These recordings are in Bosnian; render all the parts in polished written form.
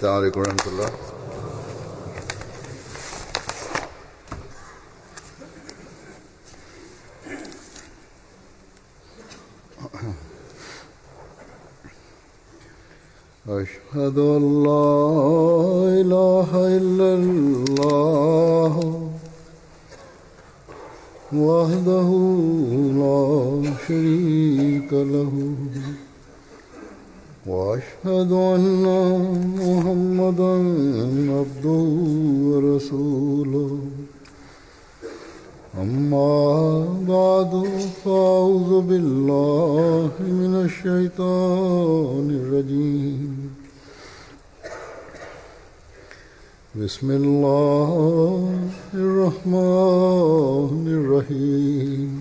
السلام عليكم ورحمة الله. أشهد أن لا إله إلا الله وحده لا شريك له وأشهد أن محمدا عبده ورسوله أما بعد فأعوذ بالله من الشيطان الرجيم بسم الله الرحمن الرحيم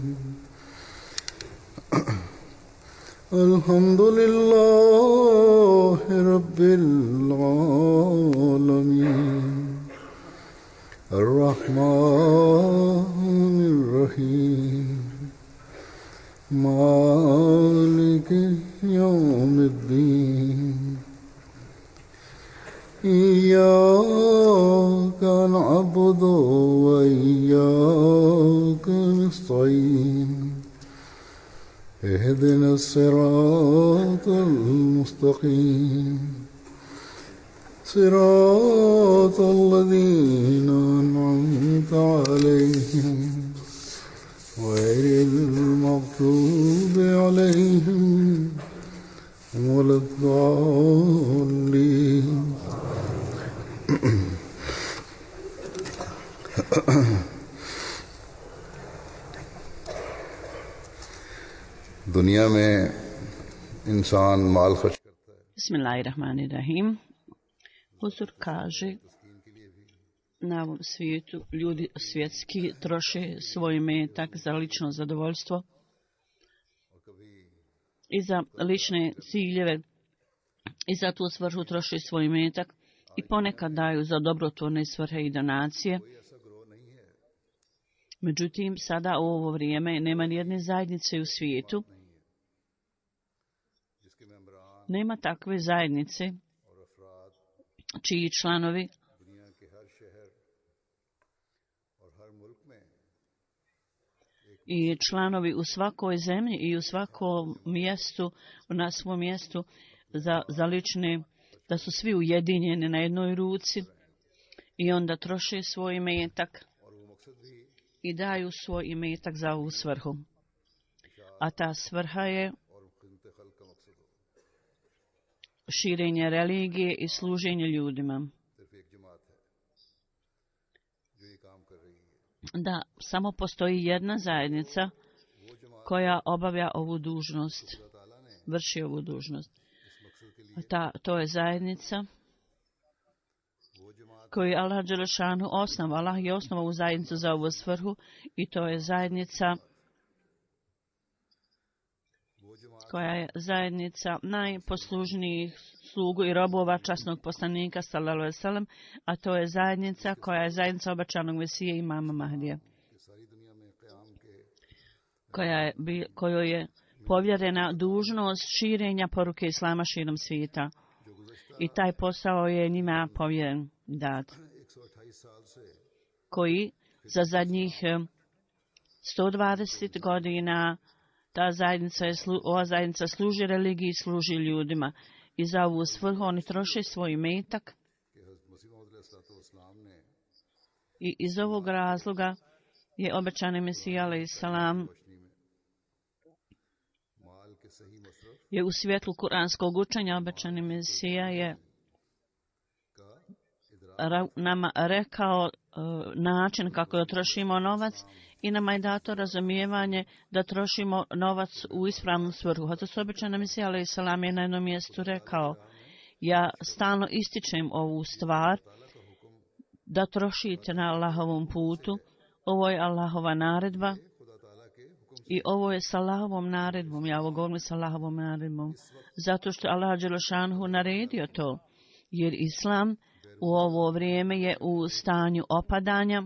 الحمد لله رب العالمين الرحمن الرحيم مالك يوم الدين إياك نعبد وإياك نستعين اهدنا الصراط المستقيم صراط الذين أنعمت عليهم غير المغضوب عليهم ولا الضالين. दुनिया में इंसान माल खर्च करता है. Bismillahirrahmanirrahim. Huzur kaže, na ovom svijetu ljudi svjetski troše svoj imetak za lično zadovoljstvo i za lične ciljeve i za tu svrhu troše svoj imetak i ponekad daju za dobrotvorne svrhe i donacije. Međutim, sada u ovo vrijeme nema nijedne zajednice u svijetu, nema takve zajednice čiji članovi i članovi u svakoj zemlji i u svakom mjestu, na svom mjestu za lične, da su svi ujedinjeni na jednoj ruci i onda troše svoj imetak i daju svoj imetak za ovu svrhu. A ta svrha je širenje religije i služenje ljudima. Da, samo postoji jedna zajednica koja obavlja ovu dužnost, vrši ovu dužnost. To je zajednica koju Allah dželešanu osnovao. Allah je osnovao u zajednicu za ovu svrhu i to je zajednica koja je zajednica najposlužnijih slugu i robova časnog poslanika sallallahu alejhi ve sellem, a to je zajednica koja je zajednica obećanog Mesije imama Mahdija, kojoj je povjerena dužnost širenja poruke Islama širom svijeta. I taj posao je njima povjeren dat, koji za zadnjih 120 godina ova zajednica služi religiji i služi ljudima. I za ovu svrhu oni troše svoj imetak. I iz ovog razloga je obećani Mesija alejhiselam je u svjetlu kuranskog učenja obećani Mesija je nama rekao način kako da trošimo novac i nama je dato razumijevanje da trošimo novac u ispravnu svrhu. Hazrat obećani Mesija alejhiselam je na jednom mjestu rekao: ja stalno ističem ovu stvar da trošite na Allahovom putu. Ovo je Allahova naredba i ovo je s Allahovom naredbom. Ja ovo govorim s Allahovom naredbom zato što Allah dželešanu naredio to, jer Islam u ovo vrijeme je u stanju opadanja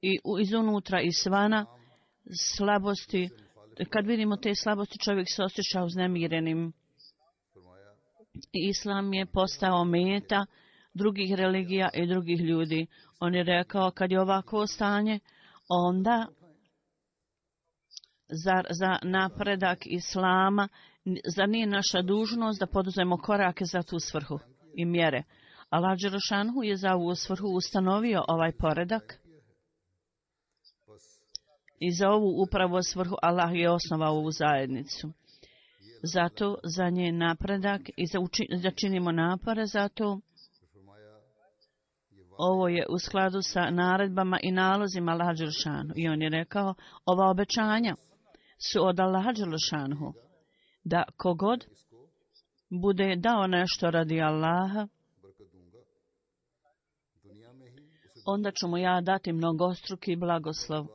i izunutra i svana slabosti. Kad vidimo te slabosti, čovjek se osjeća uznemirenim. Islam je postao meta drugih religija i drugih ljudi. On je rekao, kad je ovako stanje, onda za napredak Islama, zar nije naša dužnost da poduzmemo korake za tu svrhu i mjere? Allah dželešanu je za ovu svrhu ustanovio ovaj poredak i za ovu upravo svrhu Allah je osnovao ovu zajednicu. Zato za njen napredak i da činimo napore za to. Ovo je u skladu sa naredbama i nalozima Allaha dželešanu. I on je rekao, ova obećanja su od Allaha dželešanu, da kogod bude dao nešto radi Allaha, onda ću mu ja dati mnogostruki blagoslov.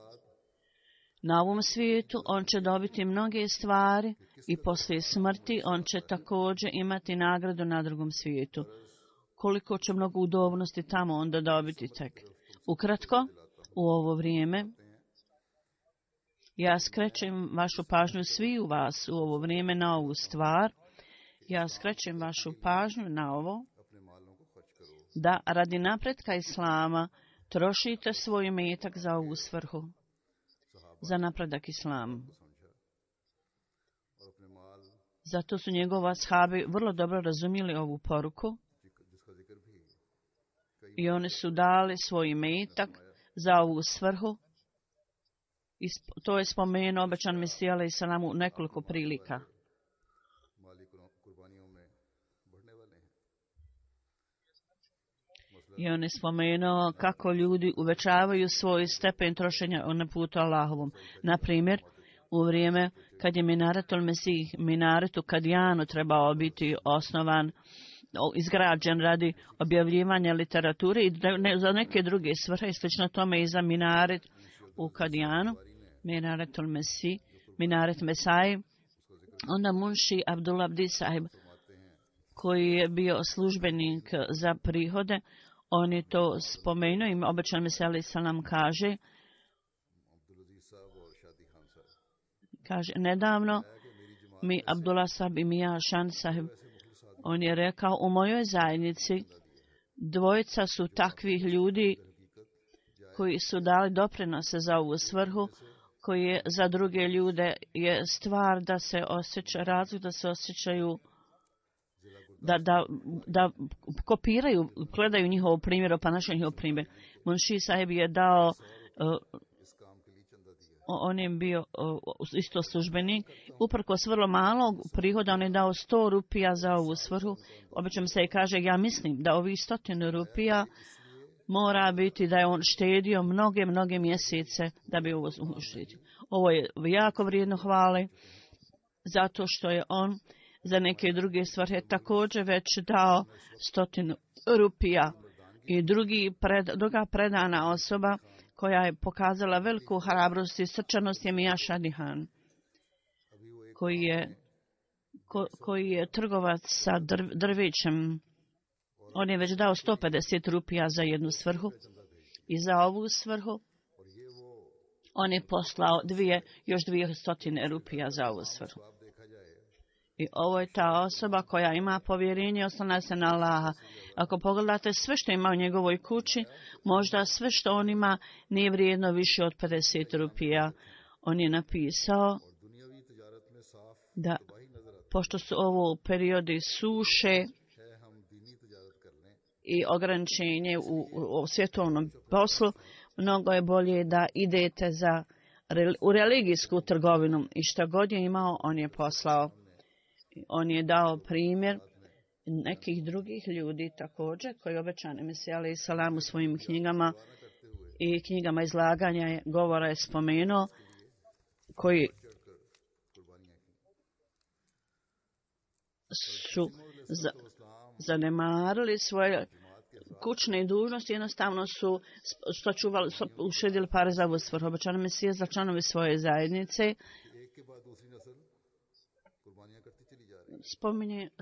Na ovom svijetu on će dobiti mnoge stvari i poslije smrti on će također imati nagradu na drugom svijetu. Koliko će mnogo udobnosti tamo onda dobiti tek. Ukratko, u ovo vrijeme, ja skrećem vašu pažnju svi u vas u ovo vrijeme na ovu stvar. Ja skrećem vašu pažnju na ovo, da radi napretka Islama trošite svoj imetak za ovu svrhu, za napredak Islama. Zato su njegova ashabi vrlo dobro razumjeli ovu poruku i oni su dali svoj imetak za ovu svrhu. I to je spomenuo obećan Mesija alejhi selam u nekoliko prilika. I on je spomenuo kako ljudi uvećavaju svoj stepen trošenja na putu Allahovom. Na primjer, u vrijeme kad je Minaretul Mesih, minaretu Kadijanu trebao biti osnovan, izgrađen radi objavljivanja literature i za neke druge svrhe, slično tome i za minaret u Kadijanu, Minaretul Mesih, Minaret Mesai, onda Munši Abdullah Abdi Sahib, koji je bio službenik za prihode, on je to spomenuo i obećan Mesija alejhi selam kaže, nedavno mi Abdullah Sahib i Mija Šan Sahib, on je rekao, u mojoj zajednici dvojica su takvih ljudi koji su dali doprinose za ovu svrhu, koji je za druge ljude je stvar da se osjeća razlog, da se osjećaju da kopiraju, gledaju njihov primjer, pa našo njihov primjer. Munši Sahib je dao, on je bio isto službenik, uprkos vrlo malog prihoda, on je dao 100 rupija za ovu svrhu. Obično se i kaže, ja mislim da ovih 100 rupija mora biti da je on štedio mnoge mjesece da bi ovo uštedio. Ovo je jako vrijedno hvale, zato što je on za neke druge svrhe također već dao 100 rupija. I druga predana osoba koja je pokazala veliku hrabrost i srčanost je Mija Šadihan, koji je trgovac sa drvećem. On je već dao 150 rupija za jednu svrhu i za ovu svrhu on je poslao još 200 rupija za ovu svrhu. I ovo je ta osoba koja ima povjerenje, oslanja se na Allaha. Ako pogledate sve što ima u njegovoj kući, možda sve što on ima nije vrijedno više od 50 rupija. On je napisao da, pošto su ovo periodi suše i ograničenje u svjetovnom poslu, mnogo je bolje da idete u religijsku trgovinu. I što god je imao, on je poslao. On je dao primjer nekih drugih ljudi također, koji obećani Mesija alejhi selam u svojim knjigama i knjigama izlaganja govora je spomenuo, koji su zanemarili svoje kućne dužnosti, jednostavno su uštedili pare za ovu svrhu. Obećani Mesija za članovi svoje zajednice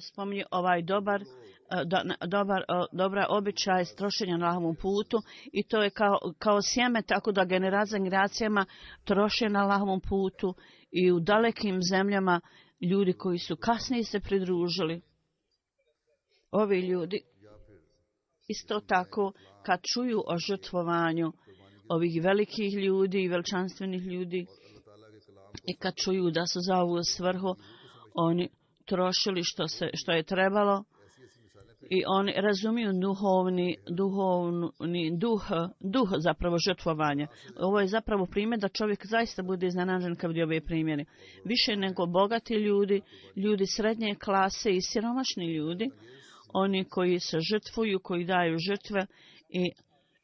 spominje ovaj dobra običaj trošenja na Allahovom putu i to je kao sjeme, tako da generacijama troše na Allahovom putu i u dalekim zemljama ljudi koji su kasnije se pridružili. Ovi ljudi isto tako kad čuju o žrtvovanju ovih velikih ljudi i veličanstvenih ljudi i kad čuju da su za ovu svrhu oni trošili što je trebalo i oni razumiju duh zapravo žrtvovanja. Ovo je zapravo primjer da čovjek zaista bude iznenađen kad vidi ove primjere. Više nego bogati ljudi, ljudi srednje klase i siromašni ljudi, oni koji se žrtvuju, koji daju žrtve i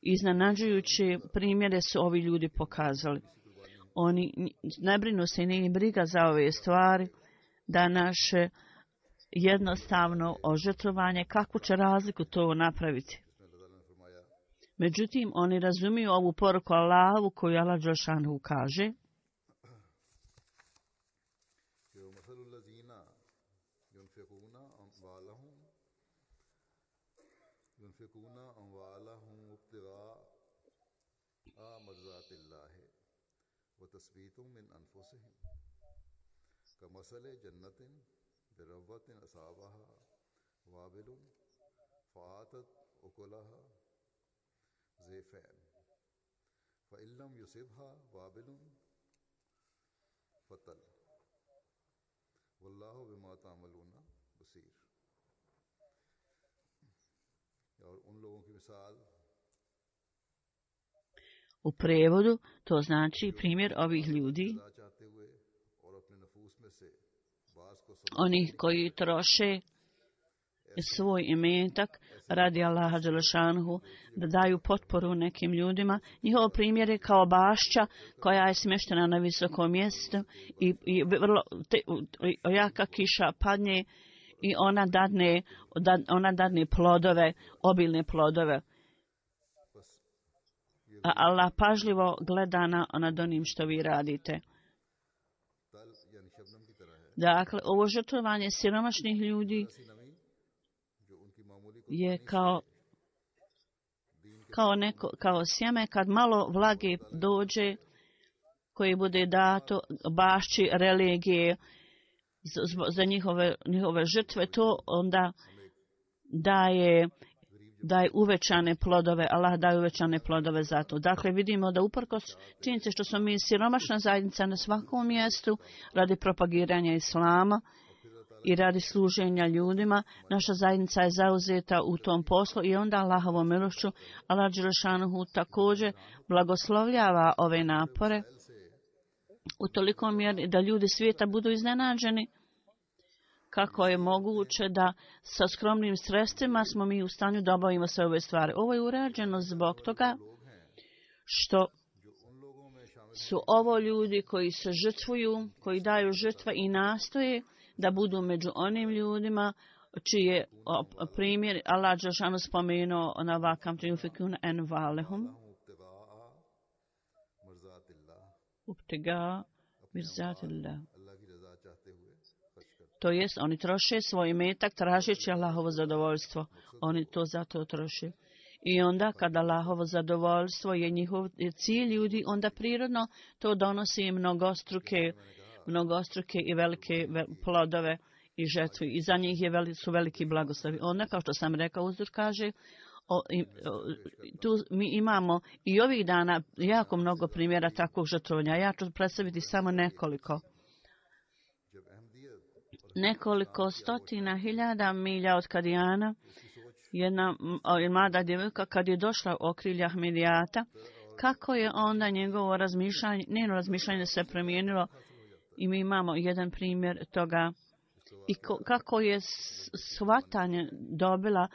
iznenađujući primjere su ovi ljudi pokazali. Oni ne brinu se i nije briga za ove stvari, da naše jednostavno ožrtvovanje, kakvu će razliku to napraviti. Međutim, oni razumiju ovu poruku Allahovu koju Allah dželešanu kaže. بربوة أصابها وابل فآتت أكلها زيفين فإن لم يصبها وابل فتل والله بما تعملون بصير. और उन लोगों की मिसाल u prevodu to znači primjer ovih ljudi, oni koji troše svoj imetak radi Allaha dželešanhu, da daju potporu nekim ljudima. Njihov primjer je kao bašća koja je smještena na visokom mjestu i vrlo jaka kiša padne i ona dadne plodove, obilne plodove. A Allah pažljivo gleda nad onim što vi radite. Dakle, ovo žrtvovanje siromašnih ljudi je kao sjeme kad malo vlage dođe koje bude dato bašći religije za njihove žrtve, to onda daje uvećane plodove. Allah daje uvećane plodove za to. Dakle, vidimo da uprkos činjenice što smo mi siromašna zajednica na svakom mjestu radi propagiranja islama i radi služenja ljudima, naša zajednica je zauzeta u tom poslu i onda Allahovom milošću Allah dželešanuhu također blagoslovljava ove napore u toliko mjeri da ljudi svijeta budu iznenađeni kako je moguće da sa skromnim sredstvima smo mi u stanju da obavimo sve ove stvari. Ovo je urađeno zbog toga što su ovo ljudi koji se žrtvuju, koji daju žrtva i nastoje da budu među onim ljudima čije primjer Allah dželešanu spomenuo na vakam triumfikuna envalehum uptega mirzatillah. To jest, oni troše svoj imetak tražeći Allahovo zadovoljstvo. Oni to zato troše. I onda kada Allahovo zadovoljstvo je njihov cilj ljudi, onda prirodno to donosi mnogostruke i velike plodove i žetve. I za njih su veliki blagoslovi. Onda, kao što sam rekao, uzor kaže, tu mi imamo i ovih dana jako mnogo primjera takvog žrtvovanja. Ja ću predstaviti samo nekoliko. Nekoliko stotina hiljada milja od Kadijana, jedna mlada djevojka kad je došla u okrilje Ahmedijata, kako je onda njeno razmišljanje se promijenilo i mi imamo jedan primjer toga i kako je shvatanje dobila,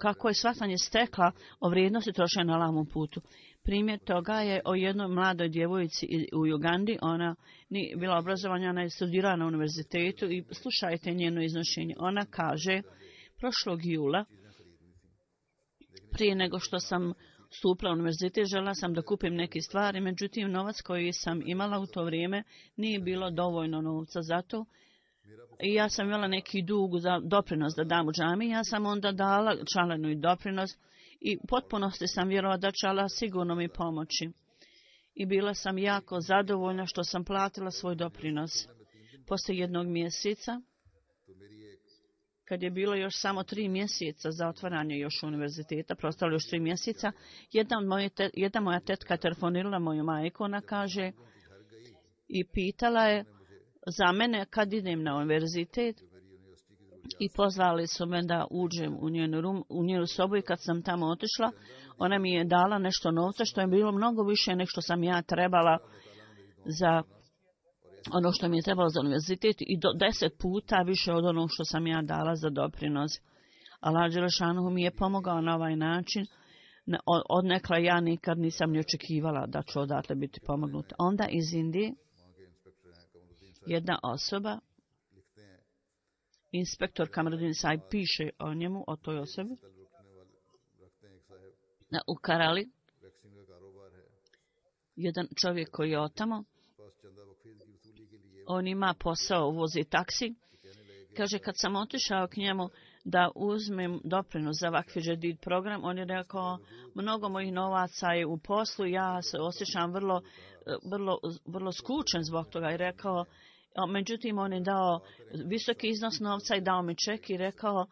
kako je shvatanje stekla o vrijednosti trošenja na Allahovom putu. Primjer toga je o jednoj mladoj djevojci u Ugandi. Ona nije bila obrazovanja, ona je studirala na univerzitetu i slušajte njeno iznošenje. Ona kaže, prošlog jula, prije nego što sam stupila u univerzitet, žela sam da kupim neke stvari, međutim novac koji sam imala u to vrijeme nije bilo dovoljno novca za to. I ja sam imala neki dug za doprinos da dam u džami. Ja sam onda dala članarinu i doprinos i potpunosti sam vjerovala da će Allah sigurno mi pomoći. I bila sam jako zadovoljna što sam platila svoj doprinos. Poslije jednog mjeseca kad je bilo još samo 3 mjeseca za otvaranje još univerziteta, prostalo još 3 mjeseca, jedna moja tetka telefonirala moju majku, ona kaže, i pitala je za mene kad idem na univerzitet i pozvali su me da uđem u njenu sobu i kad sam tamo otišla, ona mi je dala nešto novca što je bilo mnogo više nego što sam ja trebala za ono što mi je trebalo za univerzitet i 10 puta više od onog što sam ja dala za doprinos. Allah dželešanu mi je pomogao na ovaj način. Odnekla ja nikad nisam ni očekivala da ću odatle biti pomognuta. Onda iz Indije jedna osoba, inspektor Kamruddin Sahib, piše o njemu, o toj osobi. U Karali jedan čovjek koji je otamo, on ima posao, vozi taksi. Kaže, kad sam otišao k njemu da uzmem doprinos za Vakf Džedid program, on je rekao, mnogo mojih novaca je u poslu, ja se osjećam vrlo skučen zbog toga. I rekao, međutim, on je dao visoki iznos novca i dao mi ček i rekao,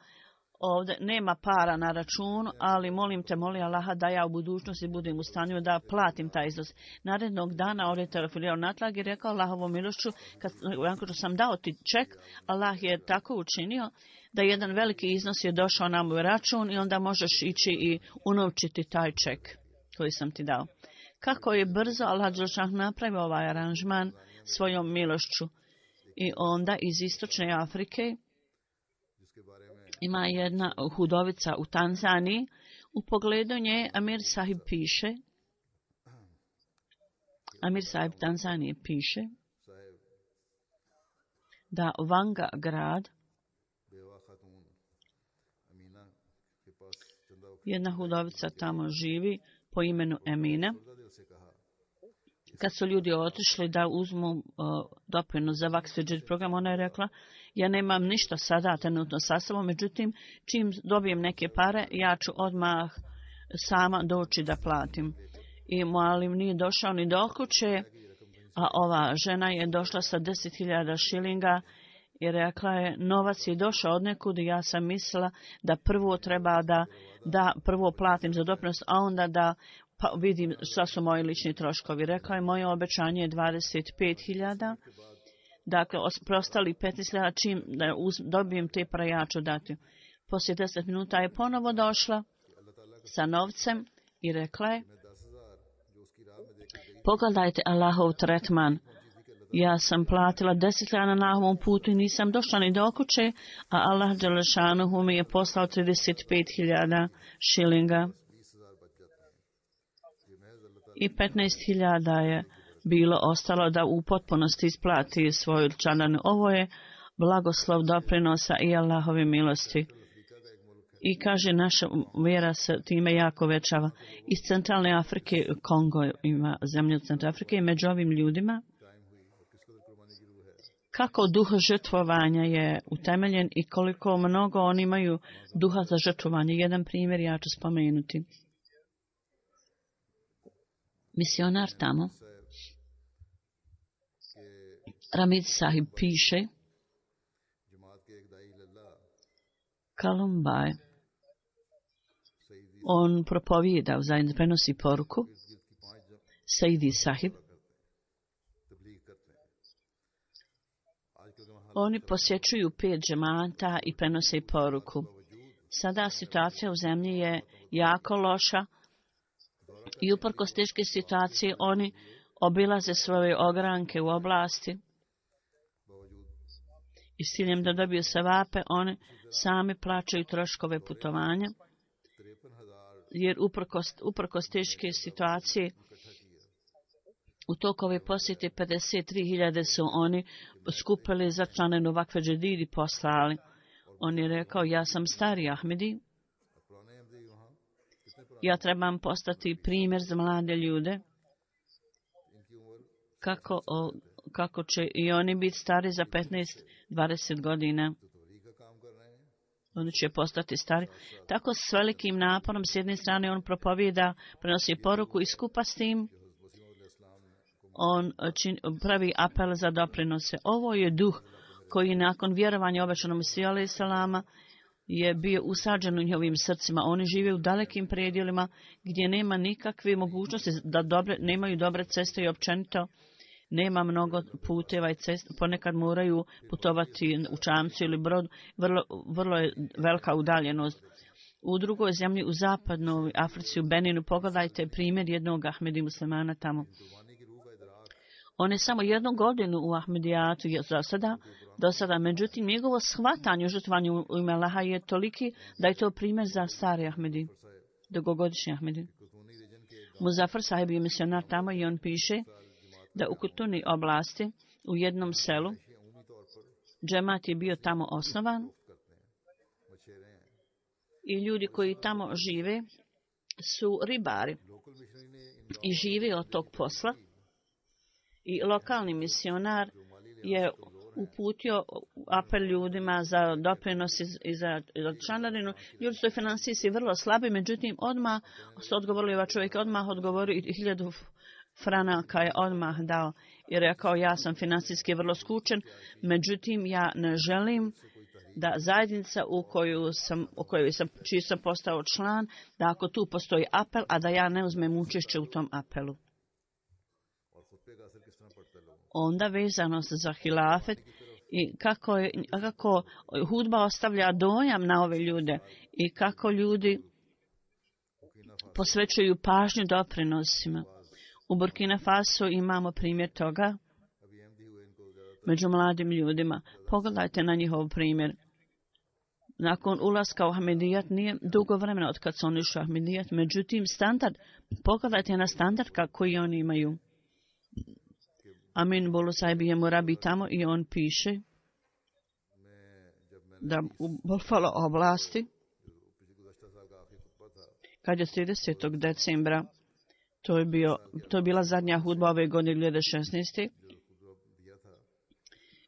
ovdje nema para na računu, ali molim Allaha da ja u budućnosti budem u stanju da platim taj iznos. Narednog dana on je telefonirao natrag i rekao, Allahovom milošću, kad sam dao ti ček, Allah je tako učinio da jedan veliki iznos je došao na moj račun i onda možeš ići i unovčiti taj ček koji sam ti dao. Kako je brzo Allah dželešanu napravio ovaj aranžman svojom milošću. I onda iz istočne Afrike ima jedna hudovica u Tanzaniji. U pogledu nje Amir Sahib piše, Amir Sahib Tanzanije piše da Vanga grad, jedna hudovica tamo živi po imenu Emina. Kad su ljudi otišli da uzmu doprinos za Vakf Džedid program, ona je rekla, ja nemam ništa sada trenutno sa sobom, međutim, čim dobijem neke pare, ja ću odmah sama doći da platim. I Mualim nije došao ni do kuće, a ova žena je došla sa 10.000 šilinga i rekla je, novac je došao od nekud i ja sam mislila da prvo treba da prvo platim za doprinos, a onda da pa vidim šta su moji lični troškovi. Rekla je, moje obećanje je 25.000. Dakle, prostali 15.000, čim dobijem te pare, ja ću dati. Poslije 10 minuta je ponovo došla sa novcem i rekla je, pogledajte Allahov tretman. Ja sam platila 10.000 na Allahovom putu i nisam došla ni do kuće, a Allah dželešanuhu mi je poslao 35.000 šilinga. I 15.000 je bilo ostalo da u potpunosti isplati svoju članarinu. Ovo je blagoslov doprinosa i Allahove milosti. I kaže, naša vjera se time jako većava. Iz centralne Afrike, Kongo ima zemlju centralne Afrike, i među ovim ljudima, kako duh žrtvovanja je utemeljen i koliko mnogo oni imaju duha za žrtvovanje. Jedan primjer ja ću spomenuti. Misionar tamo, Ramid Sahib piše, Kalumbaj, on propovijeda, zajedno prenosi poruku, Saidi Sahib, oni posjećuju 5 džemata i prenose poruku. Sada situacija u zemlji je jako loša i uprkos teške situacije oni obilaze svoje ogranke u oblasti i s ciljem da dobiju sevape, oni sami plaćaju troškove putovanja, jer uprkos teške situacije u tokove posjete 53.000 su oni skupili za članenu Vakf Džedid i poslali. On je rekao, ja sam stari Ahmedi, ja trebam postati primjer za mlade ljude, kako će i oni biti stari za 15-20 godina. Oni će postati stari. Tako s velikim naporom, s jedne strane on propovijeda, prenosi poruku i skupa s tim on pravi apel za doprinose. Ovo je duh koji nakon vjerovanja obećanom Mesiju alejhi selama je bio usađen u njihovim srcima. Oni žive u dalekim predjelima gdje nema nikakve mogućnosti da nemaju dobre ceste i općenito nema mnogo puteva i cesta. Ponekad moraju putovati u čamcu ili brod. Vrlo je velika udaljenost. U drugoj zemlji, u zapadnoj Africi, u Beninu, pogledajte primjer jednog Ahmedi muslimana tamo. On je samo 1 godinu u Ahmedijatu do sada, međutim, njegovo shvatanje u žrtvovanju u ime Allaha je toliki da je to primjer za stari Ahmedi, dugogodišnji Ahmedi. Muzafar sahib je misionar tamo i on piše da u Kutuni oblasti, u jednom selu, džemat je bio tamo osnovan i ljudi koji tamo žive su ribari i žive od tog posla. I lokalni misionar je uputio apel ljudima za doprinos i za članarinu. Ljudi su finansijski vrlo slabi, međutim odmah su odgovorili, ovaj čovjek odmah odgovorio i 1000 franaka je odmah dao i rekao ja sam finansijski vrlo skučen, međutim ja ne želim da zajednica čiji sam postao član, da ako tu postoji apel, a da ja ne uzmem učešće u tom apelu. Onda vezano za hilafet i kako hudba ostavlja dojam na ove ljude i kako ljudi posvećuju pažnju doprinosima. U Burkina Faso imamo primjer toga među mladim ljudima. Pogledajte na njihov primjer. Nakon ulaska u Ahmedijat nije dugo vremena od kad su oni išli u Ahmedijat, međutim standard, pogledajte na standard koji oni imaju. Amin Bolu sahib je murabi tamo i on piše da u Buffalo oblasti, kad je 30. decembra, to je bila zadnja hudba ove godine 2016.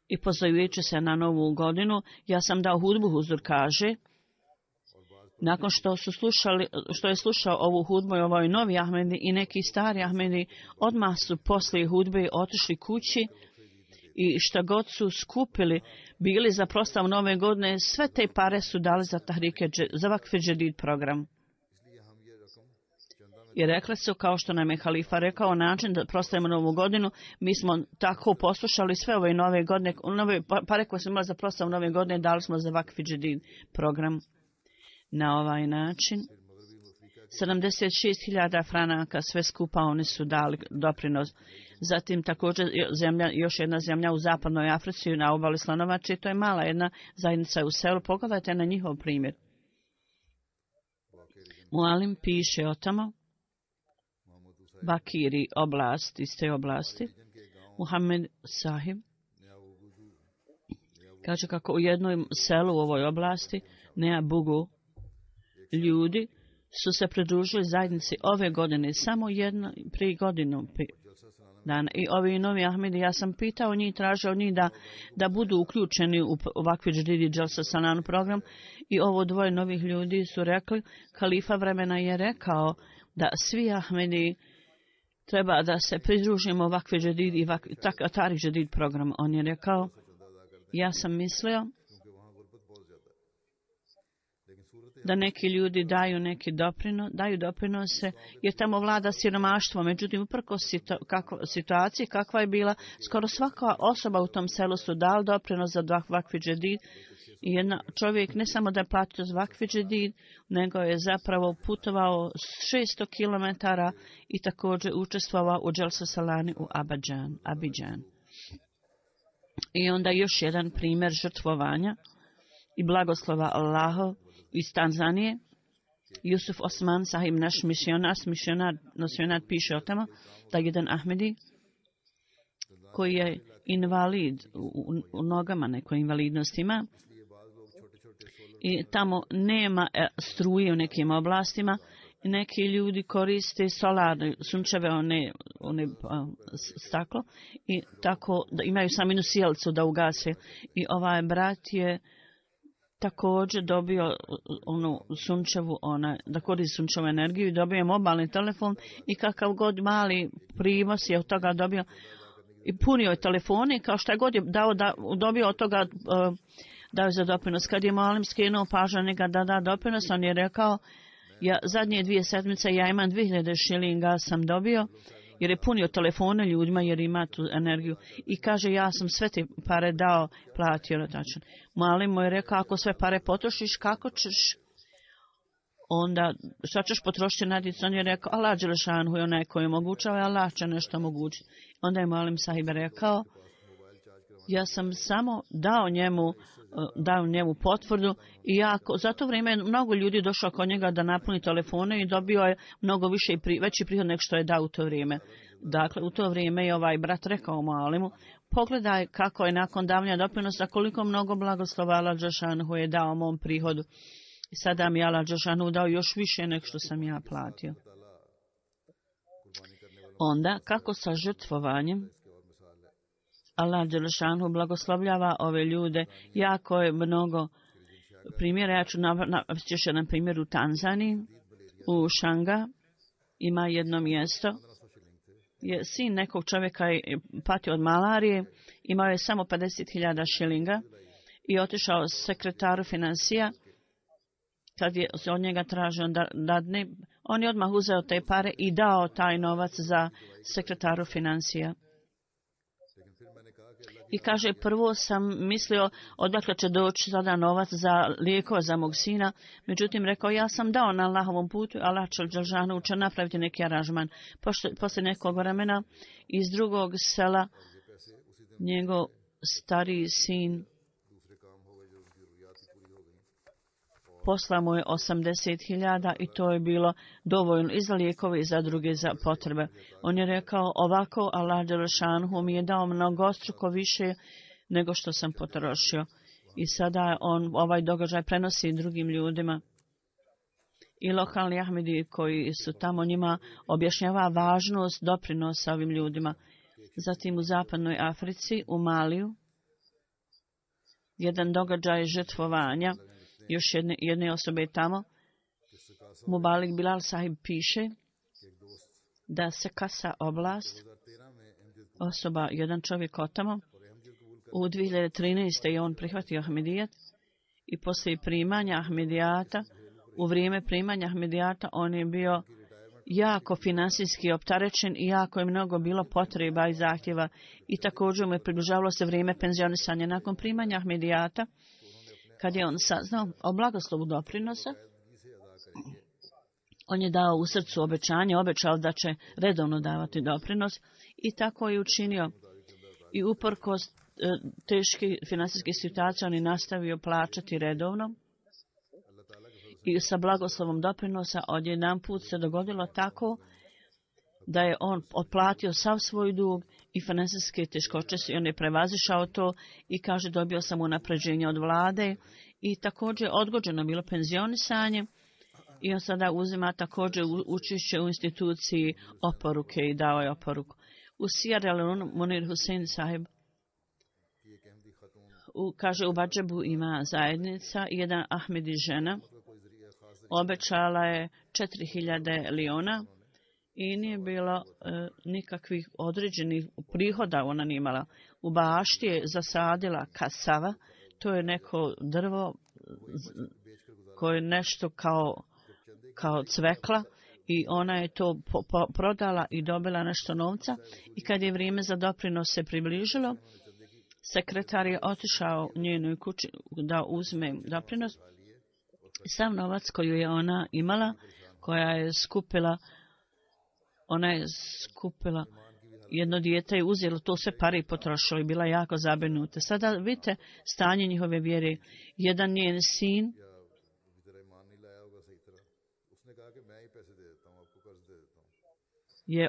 I pozovujući se na novu godinu, ja sam dao hudbu, huzur kaže, nakon što je slušao ovu hudbu i ovoj novi Ahmedi i neki stari Ahmedi, odmah su poslije hudbe otišli kući i šta god su skupili, bili za proslavu nove godine, sve te pare su dali za za Vakf Džedid program. I rekli su, kao što nam je halifa rekao, način da proslavimo novu godinu, mi smo tako poslušali sve ove nove godine, nove pare koje smo imali za proslavu nove godine, dali smo za Vakf Džedid program. Na ovaj način 76.000 franaka sve skupa oni su dali doprinos. Zatim također još jedna zemlja u zapadnoj Africi na obali Slanovače, to je mala jedna zajednica u selu. Pogledajte na njihov primjer. Mualim piše o tamo, Bakiri oblast, iz te oblasti, Muhammed sahib kaže kako u jednom selu u ovoj oblasti, Nea Bugu, ljudi su se pridružili zajednici ove godine, samo prije godinu dana. I ovi novi Ahmedi, ja sam pitao njih, tražio njih da budu uključeni u ovakvi Džedid Dželsa Sanan program i ovo dvoje novih ljudi su rekli, halifa vremena je rekao da svi Ahmedi treba da se pridružimo ovakvi Džedid i Tarik Džedid program. On je rekao, ja sam mislio da neki ljudi daju doprinose, jer tamo vlada siromaštvo. Međutim, uprkos situaciji kakva je bila, skoro svaka osoba u tom selu su dali doprinos za Vakf Džedid. I jedan čovjek ne samo da je platio za Vakf Džedid, nego je zapravo putovao 600 km i također učestvovao u Dželsa Salani u Abidjan. I onda još jedan primjer žrtvovanja i blagoslova Allahov iz Tanzanije. Jusuf Osman sahib, naš misionar piše o tome da jedan Ahmedi koji je invalid u nogama, nekoj invalidnosti ima i tamo nema struje u nekim oblastima, neki ljudi koriste solarne sunčeve one staklo i tako da imaju samo jednu sjelcu da ugase. I ovaj brat je također dobio onu sunčevu, da koristi sunčevu energiju i dobio mobilni telefon i kakav god mali prinos je od toga dobio. i punio je telefone, kao što je god je dobio od toga, dao za doprinos. Kad je Malim skrenuo pažnju njega da da doprinos, on je rekao, zadnje 2 sedmice ja imam 2000 šilinga sam dobio, jer je punio telefone ljudima, jer ima tu energiju. I kaže, ja sam sve te pare dao, platio na tačan. Malim mu je rekao, ako sve pare potrošiš, kako ćeš? Onda, šta ćeš potrošiti na djecu? On je rekao, Allah Đelešanhu je onaj koji omogućava, Allah će nešto omogućiti. Onda je Malim sahib rekao, ja sam samo dao njemu potvrdu i za to vrijeme mnogo ljudi došlo kod njega da napuni telefone i dobio je mnogo veći prihod nego što je dao u to vrijeme. Dakle, u to vrijeme je ovaj brat rekao Malimu, pogledaj kako je nakon davanja doprinosa, koliko mnogo blagoslova Allah Đelešanhu je dao mom prihodu. I sada mi je Allah Đelešanhu dao još više nego što sam ja platio. Onda, kako sa žrtvovanjem, Allah Đelešanhu blagoslovljava ove ljude. Jako je mnogo primjera. Ja ću navesti još jedan primjer u Tanzaniji. U Šanga ima jedno mjesto. Sin nekog čovjeka je patio od malarije. Imao je samo 50.000 šilinga i otišao sekretaru financija. Kad je od njega tražio da dadne, on je odmah uzeo te pare i dao taj novac za sekretaru financija. I kaže, prvo sam mislio odakle će doći sada novac za lijekove za mog sina. Međutim, rekao, ja sam dao na Allahovom putu, Allah Đelešanu će napraviti neki aranžman. Poslije nekog vremena iz drugog sela njegov stariji sin poslao mu je 80.000 i to je bilo dovoljno i za lijekove i za druge potrebe. On je rekao, ovako Allah Đelešanhu mi je dao mnogostruko više nego što sam potrošio. I sada on ovaj događaj prenosi drugim ljudima. I lokalni Ahmedi koji su tamo njima objašnjava važnost doprinosa ovim ljudima. Zatim u zapadnoj Africi, u Maliju, jedan događaj žrtvovanja još jedne osobe tamo. Mubalik Bilal sahib piše da se Kasa oblast, jedan čovjek od tamo, u 2013. je on prihvatio Ahmedijat i poslije primanja Ahmedijata, u vrijeme primanja Ahmedijata on je bio jako finansijski opterećen i jako je mnogo bilo potreba i zahtjeva i također mu je približavalo se vrijeme penzionisanja. Nakon primanja Ahmedijata, kad je on saznao o blagoslovu doprinosa, on je dao u srcu obećanje, obećao da će redovno davati doprinos i tako je učinio. I uprkos teške finansijske situacije on je nastavio plaćati redovno i sa blagoslovom doprinosa odjedanput se dogodilo tako da je on otplatio sav svoj dug i finansijske teškoće i on je prevazišao to i kaže dobio sam unapređenje od vlade i također odgođeno bilo penzionisanje i on sada uzima također učešće u instituciji oporuke i dao je oporuku. U Sierra Leone Munir Hussein sahib kaže u Badžabu ima zajednica i jedan Ahmedi žena obećala je 4.000 lijona i nije bilo nikakvih određenih prihoda ona nije imala. U bašti je zasadila kasava, to je neko drvo koje je nešto kao cvekla i ona je to prodala i dobila nešto novca i kad je vrijeme za doprinos se približilo, sekretar je otišao u njenoj kući da uzme doprinos. Sav novac koju je ona imala, ona je skupila jedno dijete i uzela to sve pare i potrošila i bila jako zabrinuta. Sada vidite stanje njihove vjere. Jedan njen sin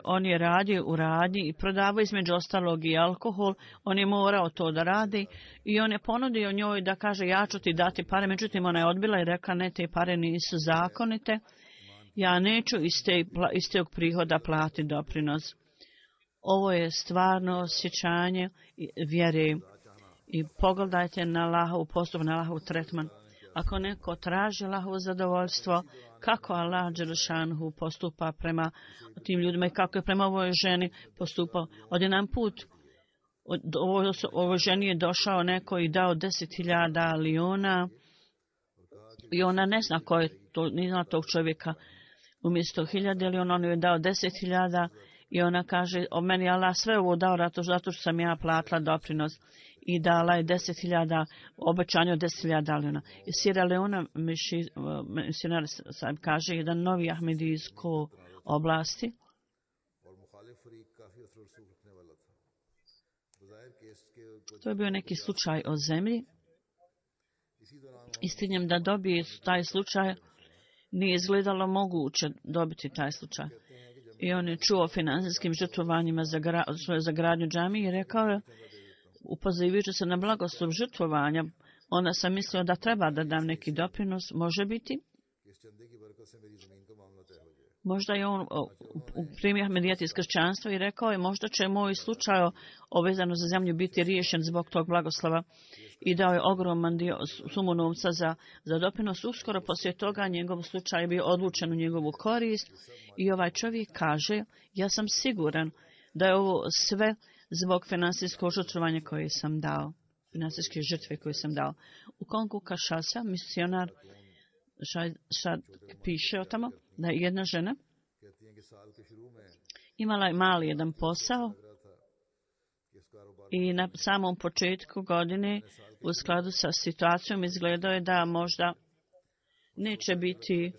on je radio u radnji i prodavao između ostalog i alkohol. On je morao to da radi i on je ponudio njoj da kaže ja ću ti dati pare. Međutim, ona je odbila i rekla ne, te pare nisu zakonite. Ja neću iz tog prihoda platiti doprinos. Ovo je stvarno osjećanje vjere. I pogledajte na Allahovu postup, na Allahov tretman. Ako neko traži Allahovo zadovoljstvo, kako Allah Đelešanhu postupa prema tim ljudima i kako je prema ovoj ženi postupao. Odjedan put Ovo ženi je došao neko i dao 10.000 liona i ona ne zna ko je to, ni zna tog čovjeka. Umjesto 1.000 liona on je dao 10.000 i ona kaže, o meni Allah sve ovo dao zato što sam ja platila doprinos i dala je 10.000, obećanje od 10.000 liona. I Sierra Leona misionar sam kaže jedan novi ahmedijsko oblasti. To je bio neki slučaj o zemlji. Istinjem da dobije taj slučaj, nije izgledalo moguće dobiti taj slučaj. I on je čuo o finansijskim žrtvovanjima za gradnju džamije i rekao je, upozivajući se na blagoslov žrtvovanja, onda sam mislio da treba da dam neki doprinos, može biti. Možda je on primio Ahmedijat iz kršćanstva i rekao je, možda će moj slučaj vezano za zemlju biti riješen zbog tog blagoslova. I dao je ogroman dio sumu novca za doprinos. Uskoro poslije toga njegov slučaj je bio odlučen u njegovu korist i ovaj čovjek kaže, ja sam siguran da je ovo sve zbog finansijskog žrtvovanja koje sam dao, finansijske žrtve koje sam dao. U Kongu Kinshasa misionar piše o tamo da je jedna žena imala je mali jedan posao i na samom početku godine u skladu sa situacijom izgledao je da možda neće biti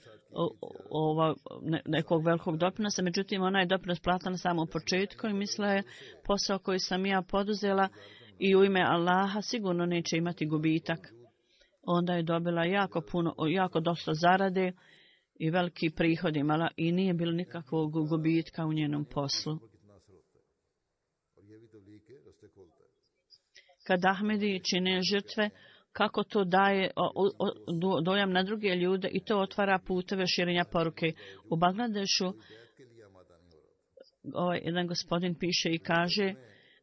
nekog velikog doprinosa, međutim ona je doprinos platila na samom početku i mislila je posao koji sam ja poduzela i u ime Allaha sigurno neće imati gubitak. Onda je dobila jako dosta zarade i veliki prihod imala i nije bilo nikakvog gubitka u njenom poslu. Kad Ahmedi čine žrtve, kako to daje dojam na druge ljude i to otvara puteve širenja poruke. U Bangladešu jedan gospodin piše i kaže,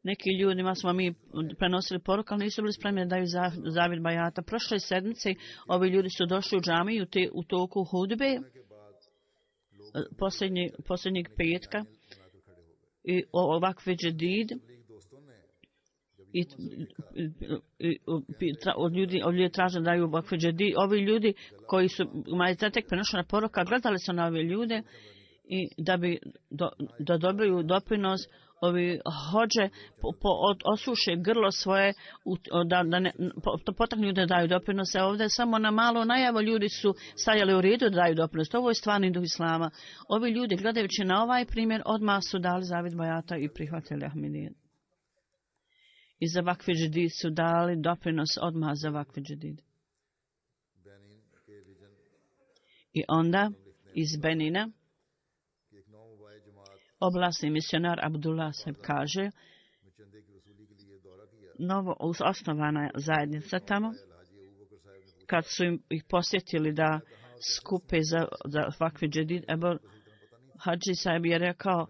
neki ljudima smo mi prenosili poruku, ali nisu bili spremni da daju zavid bajata. Prošle sedmice ovi ljudi su došli u džamiju u toku hudbe posljednjeg petka i ovakve džedid od ljudi traže da daju ovakve džedid. Ovi ljudi koji su tek prenošena poruka gledali su na ove ljude i da dobiju doprinos. Ovi hođe osuše grlo svoje, da potaknu da daju doprinose. Ovdje samo na malo najavu ljudi su stajali u redu da daju doprinos. Ovo je stvarni duh Islama. Ovi ljudi, gledajući na ovaj primjer, odmah su dali zavid bajata i prihvatili Ahmedijet. I za vakfi džedid su dali doprinos odmah za vakfi džedid. I onda iz Benina oblasni misionar Abdullah Saheb kaže, novo osnovana zajednica tamo, kad su ih posjetili da skupe za vakfi džedid, Hadži Saheb je rekao,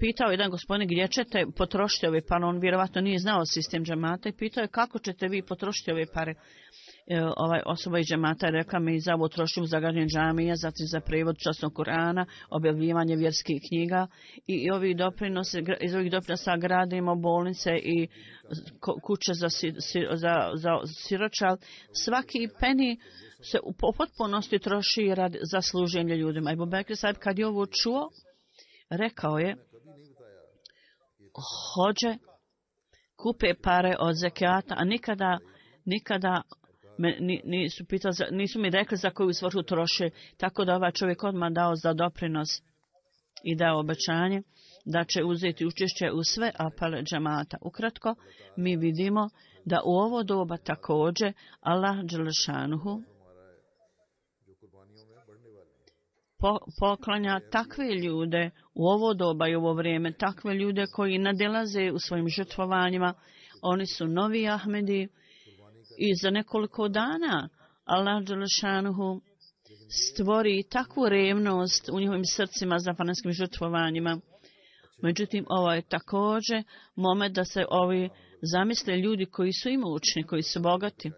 pitao jedan gospodin gdje ćete potrošiti ove pare, on vjerovatno nije znao sistem džamata i pitao je kako ćete vi potrošiti ove pare. Osoba iz džamata je rekla mi za ovo trošim za građenje džamija, zatim za prevod časnog Kur'ana, objavljivanje vjerskih knjiga i iz ovih doprinosa gradimo bolnice i kuće za siročal. Svaki peni se u potpunosti troši za služenje ljudima. Ebu Bekr Saheb kad je ovo čuo, rekao je, hođe kupe pare od zekijata, a nikada nisu mi rekli za koju svrhu troše, tako da ovaj čovjek odmah dao za doprinos i dao obećanje da će uzeti učešće u sve apele džemata. Ukratko, mi vidimo da u ovo doba također Allah dželešanuhu poklanja takve ljude u ovo doba i u ovo vrijeme, takve ljude koji nadilaze u svojim žrtvovanjima. Oni su novi Ahmedi i za nekoliko dana Allah dželešanuhu stvori takvu revnost u njihovim srcima za fanatskim žrtvovanjima. Međutim, ovo je također moment da se ovi zamisle ljudi koji su imućni, koji su bogati.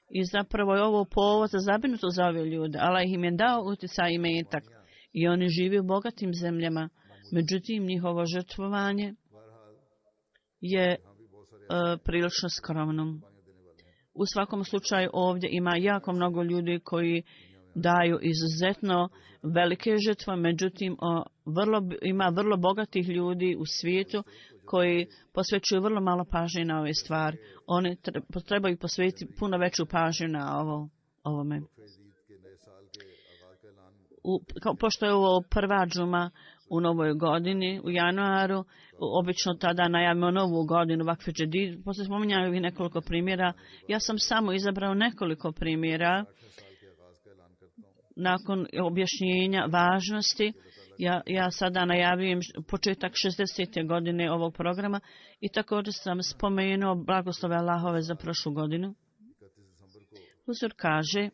I zapravo je ovo povod za zabrinutost za ove ljude. Allah im je dao utjecaj i metak i oni žive u bogatim zemljama. Međutim, njihovo žrtvovanje je prilično skromno. U svakom slučaju ovdje ima jako mnogo ljudi koji daju izuzetno velike žrtve, međutim ima vrlo bogatih ljudi u svijetu koji posvećuju vrlo malo pažnje na ove stvari. Oni trebaju posvetiti puno veću pažnju na ovome. Pošto je ovo prva džuma u novoj godini, u januaru, obično tada najavimo novu godinu, Vakf Džedid, poslije spominjaju i nekoliko primjera. Ja sam samo izabrao nekoliko primjera nakon objašnjenja važnosti. Ja sada najavljujem početak 60. godine ovog programa i također sam spomenuo blagoslove Allahove za prošlu godinu. Huzur kaže,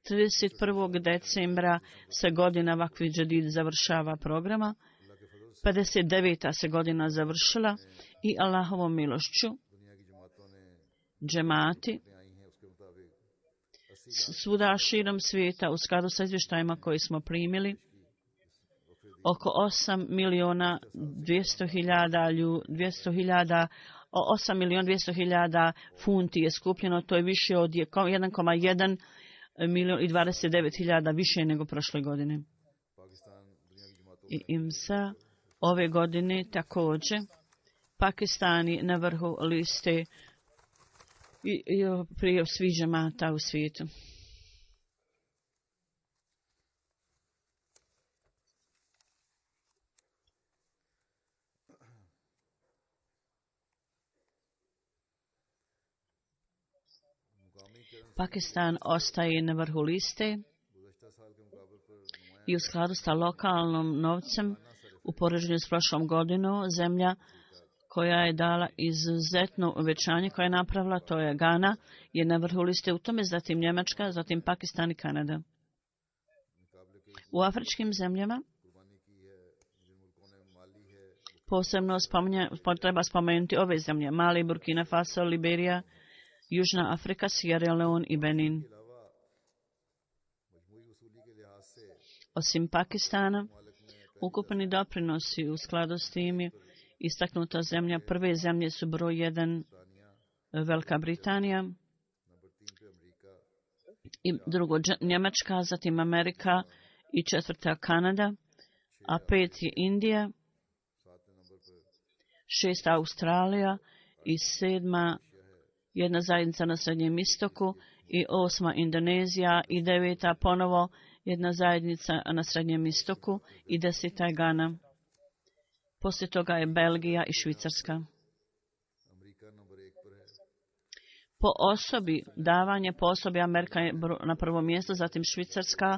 31. decembra se godina Vakf Džedid završava programa, 59. se godina završila i Allahovom milošću džemati svuda širom svijeta u skladu sa izvještajima koji smo primili oko 8.200.000 funti je skupljeno, to je više od 1,1 milion i 29.000 više nego prošle godine. I IMSA ove godine također Pakistani na vrhu liste i prije svih džemata u svijetu. Pakistan ostaje na vrhu liste i u skladu sa lokalnom novcem u poređenju s prošlom godinom zemlja koja je dala izuzetno uvećanje koje je napravila, to je Gana, je na vrhu liste u tome, zatim Njemačka, zatim Pakistan i Kanada. U afričkim zemljama posebno treba spomenuti ove zemlje: Mali, Burkina Faso, Liberija, Južna Afrika, Sierra Leone i Benin. Osim Pakistana, ukupni doprinosi u skladu s tim istaknuta zemlja. Prve zemlje su broj 1 Velika Britanija i drugo Njemačka, zatim Amerika i četvrta Kanada, a 5 je Indija, 6 Australija i 7 jedna zajednica na Srednjem istoku i 8 Indonezija i 9 ponovo jedna zajednica na Srednjem istoku i 10 je Gana. Poslije toga je Belgija i Švicarska. Po osobi, davanje po osobi Amerika je na prvo mjesto, zatim Švicarska,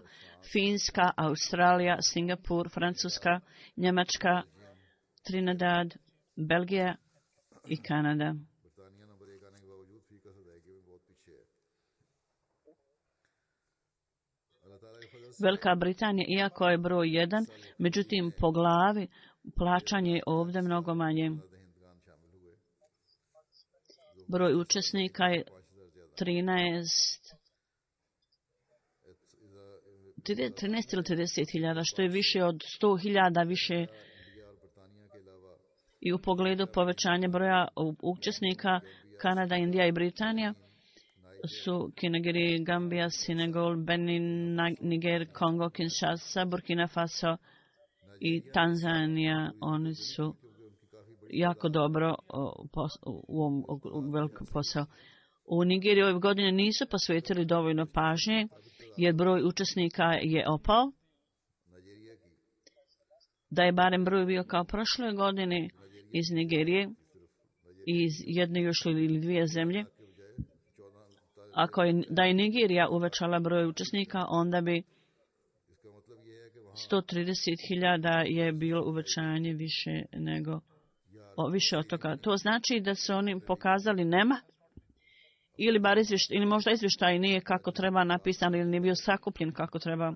Finska, Australija, Singapur, Francuska, Njemačka, Trinidad, Belgija i Kanada. Velika Britanija, iako je broj 1, međutim po glavi plaćanje je ovdje mnogo manje. Broj učesnika je 13 ili 30.000, što je više od 100.000 više. I u pogledu povećanja broja učesnika, Kanada, Indija i Britanija su Nigerija, Gambija, Senegal, Benin, Niger, Kongo, Kinshasa, Burkina Faso i Tanzanija. Oni su jako dobro u ovom velikom posao. U Nigeriji ove godine nisu posvetili dovoljno pažnje jer broj učesnika je opao. Da je barem broj bio kao prošle godine iz Nigerije, iz jedne još ili dvije zemlje. Da je Nigerija uvećala broj učesnika, onda bi 130.000 je bilo uvećanje više od toga. To znači da su oni pokazali nema ili možda izvještaj nije kako treba napisan ili nije bio sakupljen kako treba.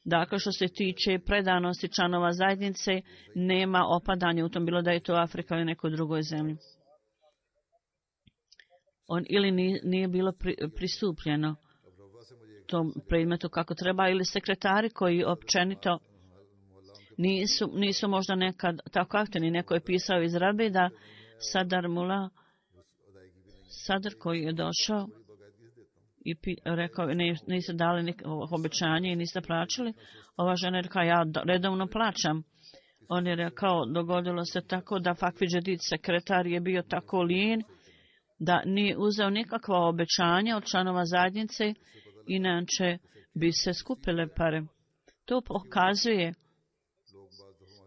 Dakle, što se tiče predanosti članova zajednice, nema opadanja u tom, bilo da je to Afrika ili nekoj drugoj zemlji. Ili nije bilo pristupljeno tom predmetu kako treba, ili sekretari koji općenito nisu možda nekad tako aktivni. Neko je pisao iz Rabi da Sadar Mula, Sadar koji je došao i rekao, niste dali obećanje i niste plaćali. Ova žena je rekao, ja redovno plaćam. On je rekao, dogodilo se tako da Fakvi Džedid, sekretar, je bio tako lijen da nije uzeo nikakva obećanja od članova zajednice, inače bi se skupile pare. To pokazuje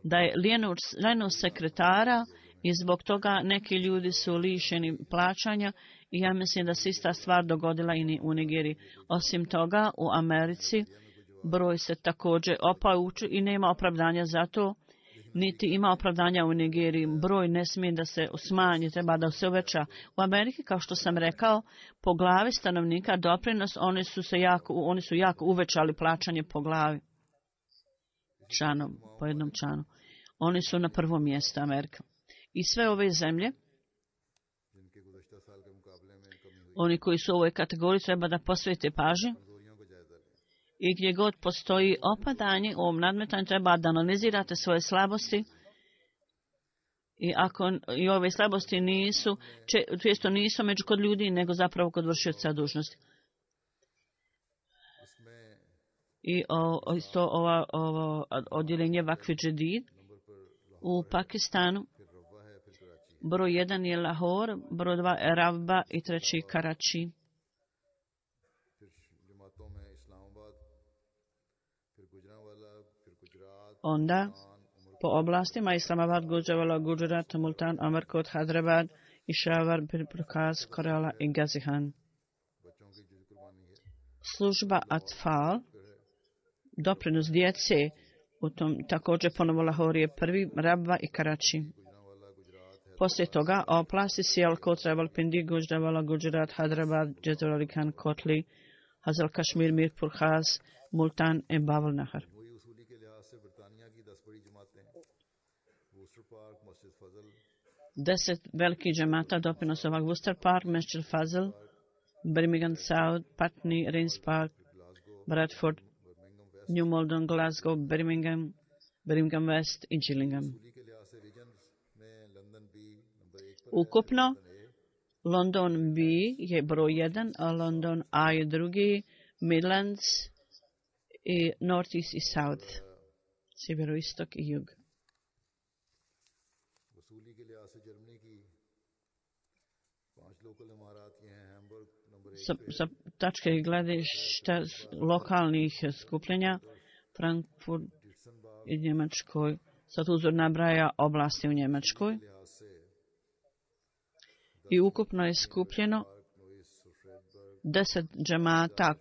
da je lijenost sekretara i zbog toga neki ljudi su lišeni plaćanja i ja mislim da se ista stvar dogodila i u Nigeriji. Osim toga, u Americi broj se također opao i nema opravdanja za to, niti ima opravdanja u Nigeriji. Broj ne smije da se smanji, treba da se uveća. U Ameriki, kao što sam rekao, po glavi stanovnika doprinos, oni su jako uvećali plaćanje po glavi. Po jednom članu. Oni su na prvom mjestu Amerika. I sve ove zemlje, oni koji su u ovoj kategoriji, treba da posvete pažnju. I gdje god postoji opadanje u ovom nadmetanju, treba da analizirate svoje slabosti. I ako i ove slabosti često nisu među kod ljudi, nego zapravo kod vršioca dužnosti. I isto ovo odjeljenje Vakfi Džedid u Pakistanu. Broj 1 je Lahore, broj 2 je Rabba i 3 Karachi. Onda po oblastima Islamabad, Gujranwala, Gujarat, Multan, Amarkot, Hyderabad, Peshawar, Prokaz, Kerala i Gazihan. Služba Atfal, doprinos djece, u tom također ponovo Lahore je prvi, Rabba i Karachi. Poslije toga oblasti Sialkot, Rawalpindi, Gujranwala, Gujarat, Hyderabad, Jazawali Khan, Kotli, Hazal Kashmir, Mirpur Khas, Multan i Babul Nahar. 10 velikih džemata doprinos ovog Worcester Park, Masjid Fazl, Birmingham South, Putney, Rains Park, Bradford, New Malden, Glasgow, Birmingham West i Gillingham. Ukupno, London B je broj 1, a London A je drugi, Midlands i North East i South, sjeveroistok i jug. Sa tačke gledišta lokalnih skupljenja, Frankfurt i Njemačkoj, sad uzor nabraja oblasti u Njemačkoj. I ukupno je skupljeno 10 džemata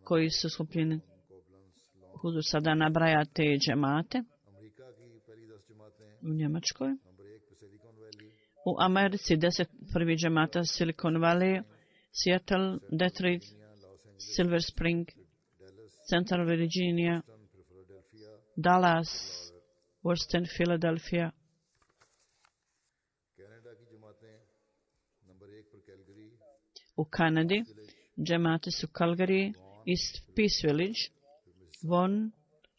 koji su skupljeni. Huzur sada nabraja te džemate u Njemačkoj. U Americi 10 prvi džemata Silicon Valley, Seattle, Detroit, Silver Spring, Central Virginia, Dallas, Western Philadelphia. U Kanadi džemate su Calgary, East Peace Village, Vaughan,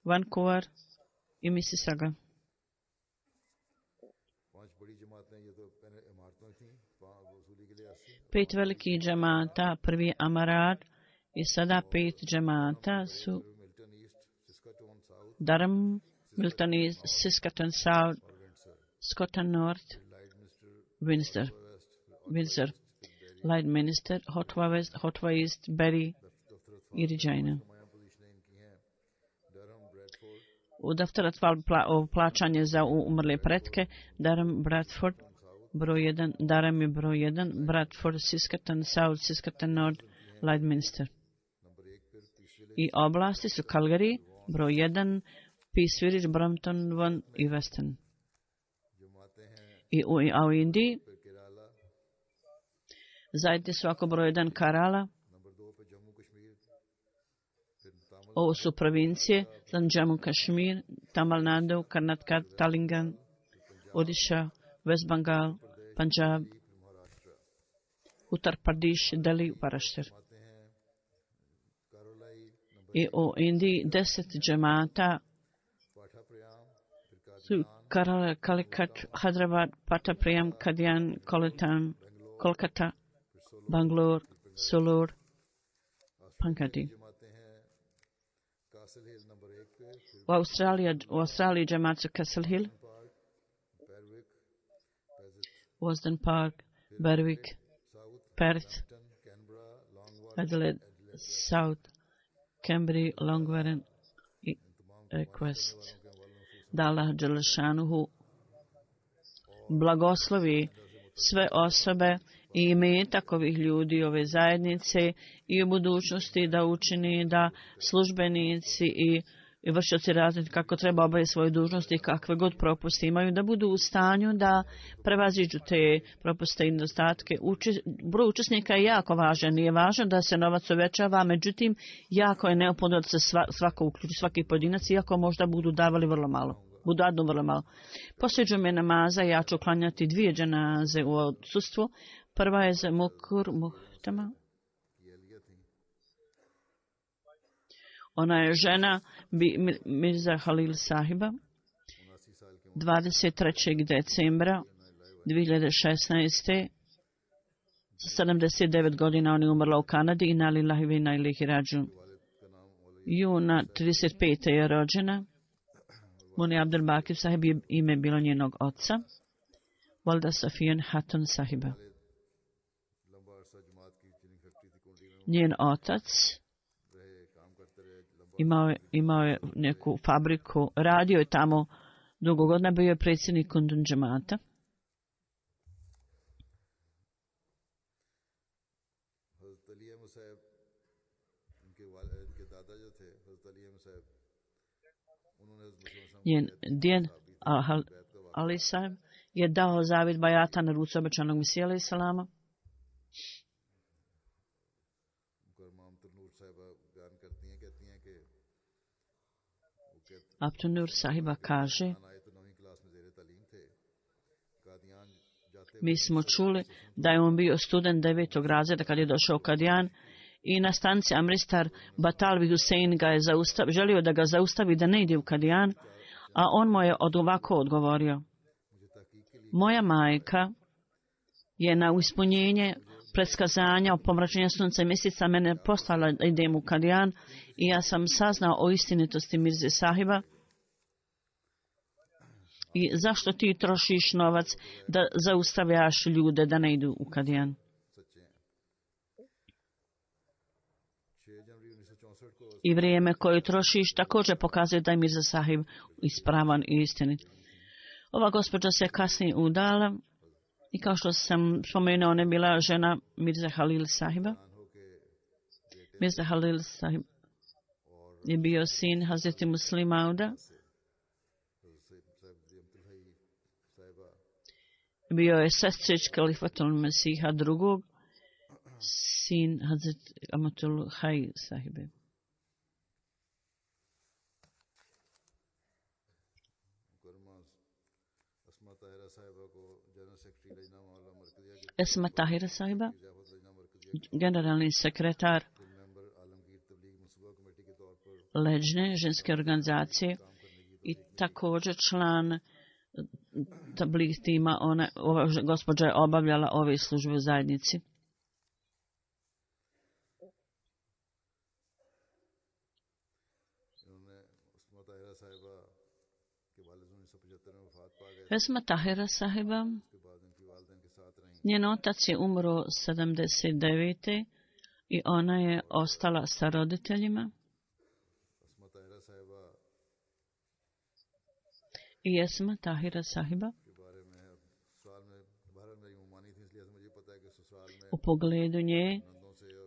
Vancouver i Mississauga. 5 velikih džemata, prvi Amarat i sada 5 džemata su Durham, Milton East, Saskatoon South, Scotland North, Windsor, Lloydminster, Hotwa West, Hotwa East, Bury i Regina. U daftarat plaćanje za umrle pretke, Durham, Bradford, broj 1, Durham je broj 1, Bradford, Saskatoon South, Saskatoon North, Lloydminster. I oblasti su Calgary, broj 1, Peace Village, Brampton, Vaughan i Weston. A u Indiji zajedno su ako broj 1 Kerala. Ovo su provincije, Jammu Kashmir, Tamil Nadu, Karnataka, Telangan, Odisha, West Bengal, Punjab, Uttar Pradesh, Delhi, Maharashtra. I u Indiji 10 džemata Kerala, Calicut, Hyderabad, Pattapriyam, Kadian, Kolkata, Bangalore, Sulur, Pankati. U Australiji džemat su Castle Hill, Wasden Park, Berwick, Perth, Adelaide, South, Cambridge, Longwarren i Quest. Da Allah Đelešanuhu blagoslovi sve osobe i imetak ovih ljudi, ove zajednice i u budućnosti da učini da službenici i vršioci razred kako treba obaviti svoje dužnosti i kakve god propuste imaju, da budu u stanju da prevaziđu te propuste i nedostatke. Broj učesnika je jako važan. Nije važno da se novac uvećava, međutim, jako je neophodno da se svako uključi, svaki pojedinac, iako možda budu davali vrlo malo. Budu vrlo malo. Poslije džume namaza ja ću klanjati 2 dženaze u odsustvu. Prva je za Mukur Muhtama. Ona je žena Mirza Halil Sahiba. 23. decembra 2016. Sa 79 godina on je umrla u Kanadi i inna lillahi wa inna ilaihi rađun. Juna 35. je rođena. Muni Abdul Bakir Sahib je ime bilo njenog oca. Valda Safijan Hatun Sahiba. Njen otac imao je neku fabriku, radio je tamo dugo godina, bio je predsjednik Kundun džemata. Njen djed Ali Sahib je dao zavid bajata na ruci obećanog Mesija alejhi selama. Abtunur Sahiba kaže, mi smo čuli da je on bio student 9. razreda kad je došao u Kadijan i na stanci Amristar Batalvi Husein ga je želio da ga zaustavi da ne ide u Kadijan, a on mu je ovako odgovorio. Moja majka je na ispunjenje predskazanja o pomračenju sunca i mjeseca mene poslala da idem u Kadijan i ja sam saznao o istinitosti Mirze Sahiba. I zašto ti trošiš novac da zaustavljaš ljude da ne idu u Kadijan? I vrijeme koje trošiš također pokazuje da je Mirza Sahib ispravan i istinit. Ova gospođa se kasnije udala i kao što sam spomenuo, ona je bila žena Mirza Halil Sahiba. Mirza Halil Sahib je bio sin Hazreti Muslima Auda. Bio je sestrić Kalifatul Mesiha II. Sin Hazreti Amatul Haj Sahibe. Esma Tahira Sahiba, generalni sekretar Leđne ženske organizacije i također član tabligh tima, ova gospođa je obavljala ove službe u zajednici. Esma Tahira Sahiba, njen otac je umro 79. i ona je ostala sa roditeljima. I Esma Tahira Sahiba u pogledu nje,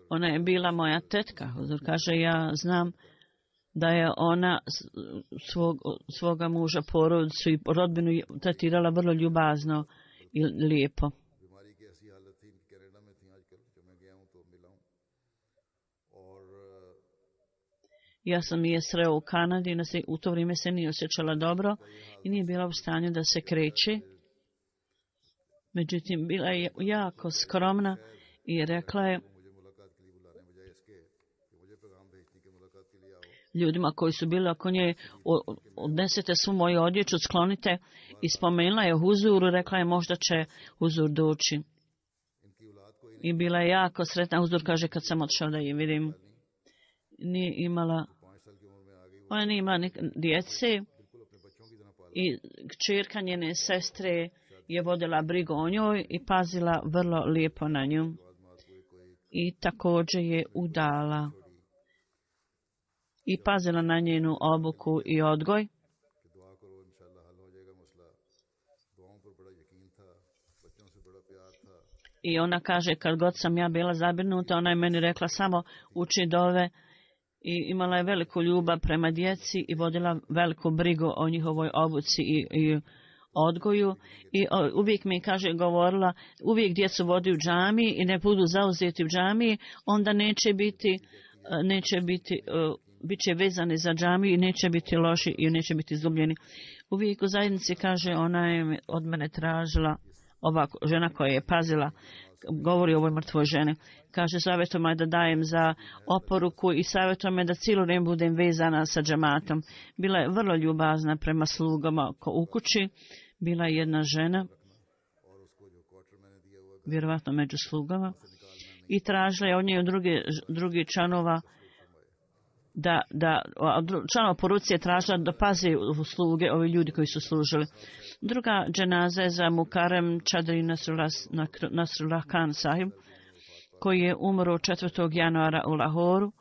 ona je bila moja tetka. Huzur kaže, ja znam da je ona svoga muža, porodicu i rodbinu tretirala vrlo ljubazno i lijepo. Ja sam je sreo u Kanadi, u to vrijeme se nije osjećala dobro i nije bila u stanju da se kreće. Međutim, bila je jako skromna i rekla je, ljudima koji su bili oko nje, odnesete svu moju odjeću, sklonite, i spomenula je Huzuru, rekla je možda će Huzur doći. I bila je jako sretna. Huzur kaže kad sam otišao da je vidim, nije imala, ona nije imala djece i kćerka njene sestre je vodila brigu o njoj i pazila vrlo lijepo na nju. I također je udala i pazila na njenu obuku i odgoj. I ona kaže, kad god sam ja bila zabrinuta, ona je meni rekla samo uči dove, i imala je veliku ljubav prema djeci i vodila veliku brigu o njihovoj obuci i odgoju. I uvijek mi kaže, govorila, uvijek djecu vodi u džamiji i ne budu zauzeti u džamiji, onda neće biti bit će vezani za džamiju i neće biti loši i neće biti izgubljeni. Uvijek u zajednici, kaže, ona je od mene tražila, ova žena koja je pazila, govori o ovoj mrtvoj ženi, kaže, savjetuje me da dajem za oporuku i savjetuje me da cijelo vrijeme budem vezana sa džematom. Bila je vrlo ljubazna prema slugama u kući. Bila je jedna žena, vjerovatno među slugama, i tražila je od nje drugi članova članova poruci je tražila da pazi u sluge ovi ljudi koji su služili. Druga dženaza je za Mukarem Čadri Nasrullah Khan sahib, koji je umro 4. januara u Lahoru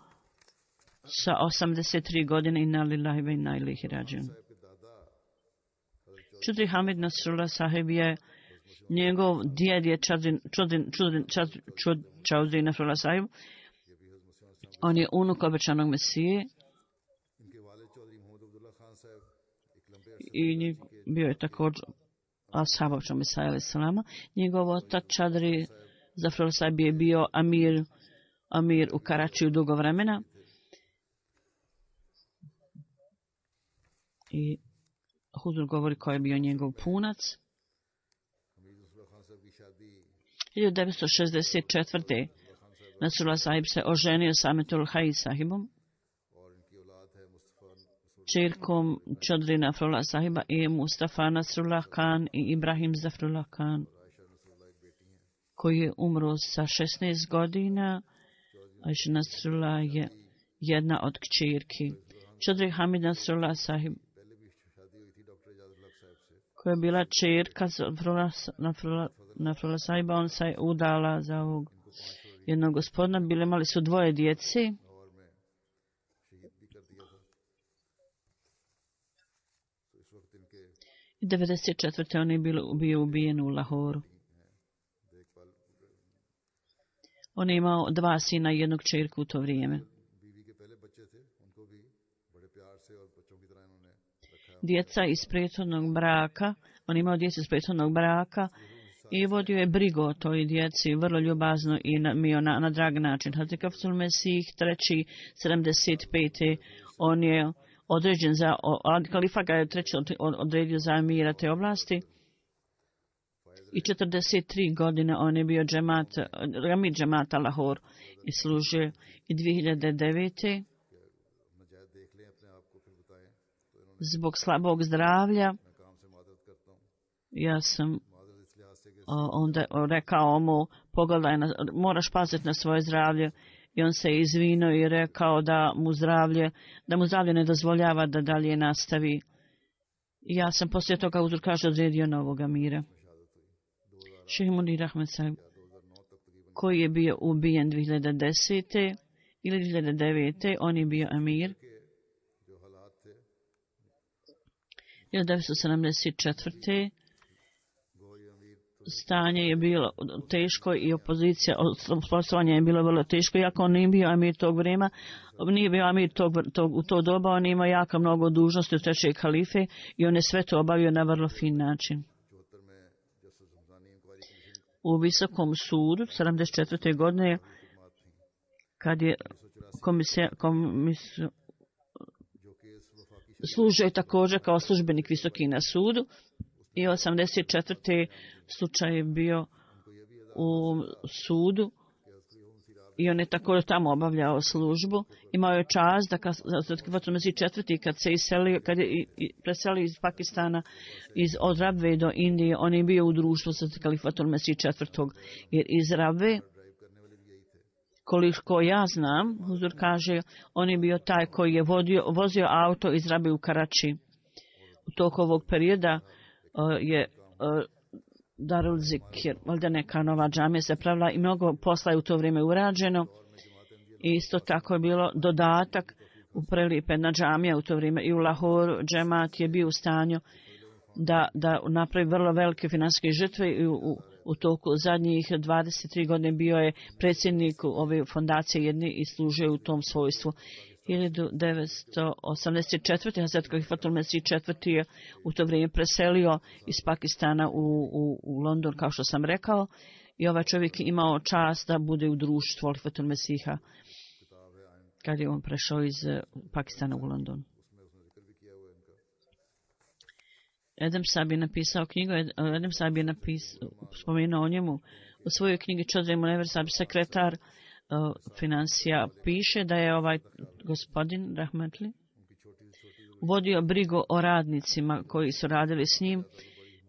sa 83 godine. Inna lillahi wa inna ilaihi rađiun. Čudri Hamid Nasrullah sahib je, njegov djed je Čudri Nasrullah sahib. On je unuk obećanog Mesije i bio je također ashab obećanog Mesija alejhi selama. Njegov otac Čadri Zafrullah sahib je bio amir u Karačiju dugo vremena. I Huzur govori ko je bio njegov punac. 1964. Nasrullah sahib se oženio sa Ametul Hai sahibom, čerkom Čadri Nasrullah sahiba, i Mustafa Nasrullah Khan i Ibrahim Zafrullah Khan, koji je umro sa 16 godina. Aisha Nasrullah je jedna od kćerki. Čadri Hamid Nasrullah sahib, koja je bila čerka Nasrullah sahiba, on se je udala za ovog jednog gospodina. Imali su dvoje djece. I 1994. on je bio ubijen u Lahoru. On je imao 2 sina i 1 kćerku u to vrijeme. Djeca iz prethodnog braka, on je imao djecu iz prethodnog braka i vodio je brigu o toj djeci vrlo ljubazno i na drag način. Hazrat Kafsul Mesih III. 75. on je određen za, kalifa ga je odredio za amira te oblasti. I 43 godine on je bio amir džemata Lahor i služio. I 2009. zbog slabog zdravlja ja sam onda rekao mu, pogledaj, moraš paziti na svoje zdravlje. I on se izvinuo i rekao da mu zdravlje ne dozvoljava da dalje nastavi. I ja sam poslije toga Huzur kaže odredio novog amira. Šejh Munir Ahmed sahib, koji je bio ubijen 2010. ili 2009. on je bio amir. 1974. stanje je bilo teško i opozicija, osposobljavanje je bilo vrlo teško, iako on nije bio amir tog vremena, nije bio amir u to doba, on imao jako mnogo dužnosti od 3. halife i on je sve to obavio na vrlo fin način. U Visokom sudu 74. godine, kad je služio također kao službenik visoki na sudu, i 84. slučaj je bio u sudu I on je također tamo obavljao službu. Imao je čast da kad Mesić IV. Kad se iselio, kad je preselio iz Pakistana od Rabve do Indije, on je bio u društvu sa Kalifatom Mesić IV. Jer iz Rabve, koliko ja znam, Huzur kaže, on je bio taj koji je vozio auto iz Rabve u Karači. U toku ovog perioda je Darul Zikr, valjda neka nova džamija se pravila i mnogo posla je u to vrijeme urađeno. I isto tako je bilo dodatak u prelipena džamija u to vrijeme i u Lahoru džemat je bio u stanju da napravi vrlo velike financijske žrtve i u toku zadnjih 23 godine bio je predsjednik ove fondacije jedne i služio u tom svojstvu. 1984. Hazret Kalifatul Mesih IV. Je u to vrijeme preselio iz Pakistana u London, kao što sam rekao, i ovaj čovjek je imao čast da bude u društvu Kalifatul Mesiha kad je on prešao iz Pakistana u London. Edem Sahib je napisao knjigu, Edem Sahib je spomenuo o njemu u svojoj knjigi Chaudhry Munawar Sahib, sekretar financija, piše da je ovaj gospodin Rahmatli vodio brigu o radnicima koji su radili s njim,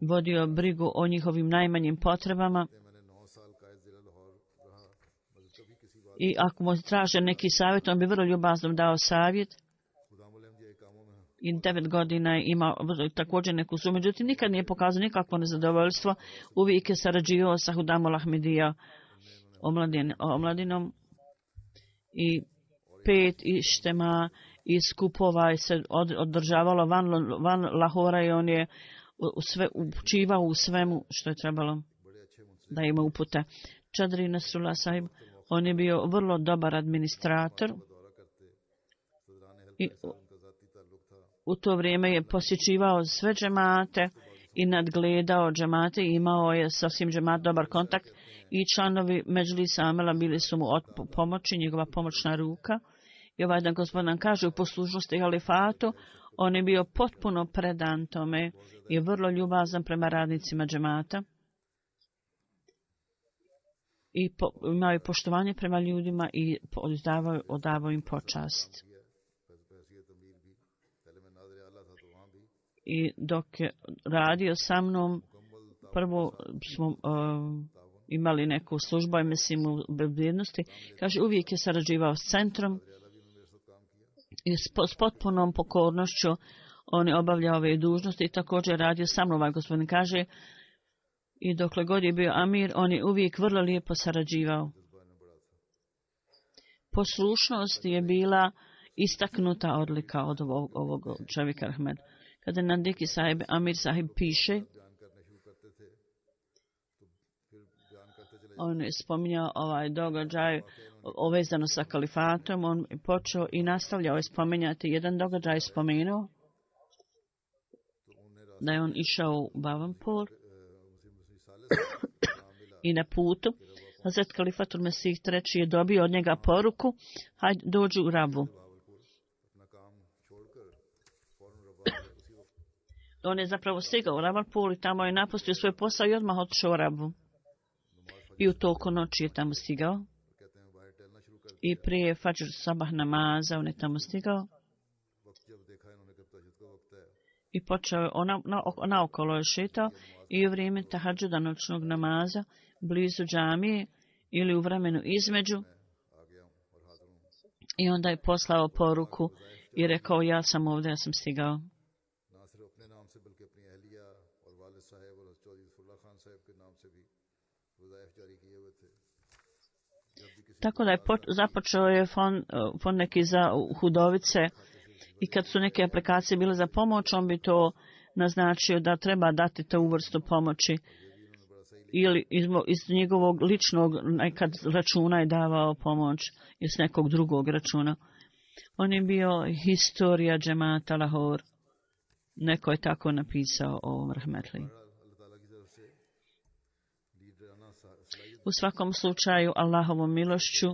vodio brigu o njihovim najmanjim potrebama i ako mu traže neki savjet, on bi vrlo ljubazno dao savjet. I 9 godina je imao također neku sumu, međutim nikad nije pokazao nikakvo nezadovoljstvo, uvijek je sarađivao sa Hudamul Ahmedija omladinom i 5 ištema i skupova se održavalo van Lahora i on je učivao u svemu što je trebalo da ima upute. Chaudhry Nasrullah Sahib, on je bio vrlo dobar administrator i u to vrijeme je posjećivao sve džemate i nadgledao džemate i imao je sa svim džemat dobar kontakt i članovi Medžlisa Amela bili su mu od pomoći, njegova pomoćna ruka. I ovaj dan gospodin nam kaže u poslušnosti halifatu, on je bio potpuno predan tome i vrlo ljubazan prema radnicima džemata. I imao je poštovanje prema ljudima i odavao im počast. I dok je radio sa mnom, prvo smo imali neku službu, mislim u bezbjednosti, kaže uvijek je sarađivao s centrom i s potpunom pokornošću on je obavljao ove dužnosti i također radio sa mnom, ovaj gospodin kaže, i dokle god je bio amir, on je uvijek vrlo lijepo sarađivao. Poslušnost je bila istaknuta odlika od ovog čovjeka Ahmed. Kada Nandiki Sahib, Amir Sahib piše, on je spominjao ovaj događaj ovezano sa kalifatom, on je počeo i nastavljao je spominjati. Jedan događaj spomenuo da je on išao u Bhavanpur i na putu Hazret Kalifatul Mesih III je dobio od njega poruku, hajde dođi u Rabu. On je zapravo stigao u Ravalpur i tamo je napustio svoj posao i odmah otišao u Rabu. I u toku noći je tamo stigao. I prije Fajr sabah namaza on je tamo stigao. I počeo je naokolo je šetao i u vrijeme tahadžuda noćnog namaza blizu džamije ili u vremenu između. I onda je poslao poruku i rekao ja sam ovdje, ja sam stigao. Tako da je započeo je fond neki za hudovice i kad su neke aplikacije bile za pomoć, on bi to naznačio da treba dati tu vrstu pomoći ili iz njegovog ličnog nekad računa je davao pomoć iz nekog drugog računa. On je bio historija džemata Lahore. Neko je tako napisao o Rahmetli. U svakom slučaju, Allahovom milošću,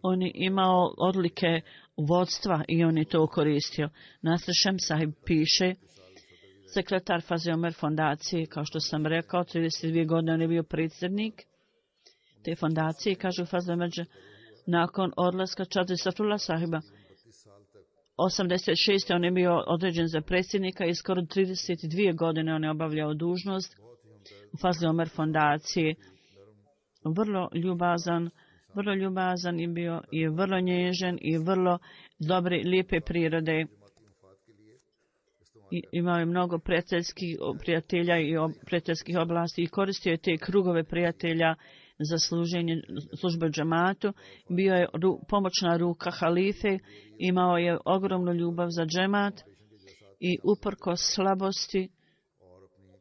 on je imao odlike vodstva i on je to koristio. Nasr Shem Sahib piše, sekretar Fazl Omer fondacije, kao što sam rekao, 32 godine on je bio predsjednik. te fondacije. Kažu Fazl Međe, nakon odlaska Čadri Safrullah sahiba, 86. on je bio određen za predsjednika i skoro 32 godine on je obavljao dužnost u Fazl Omer fondacije. Vrlo ljubazan je bio i vrlo nježan i vrlo dobre, lijepe prirode. I imao je mnogo prijatelja i prijateljskih oblasti i koristio je te krugove prijatelja za službe džematu. Bio je pomoćna ruka halife, imao je ogromnu ljubav za džemat i uprkos slabosti,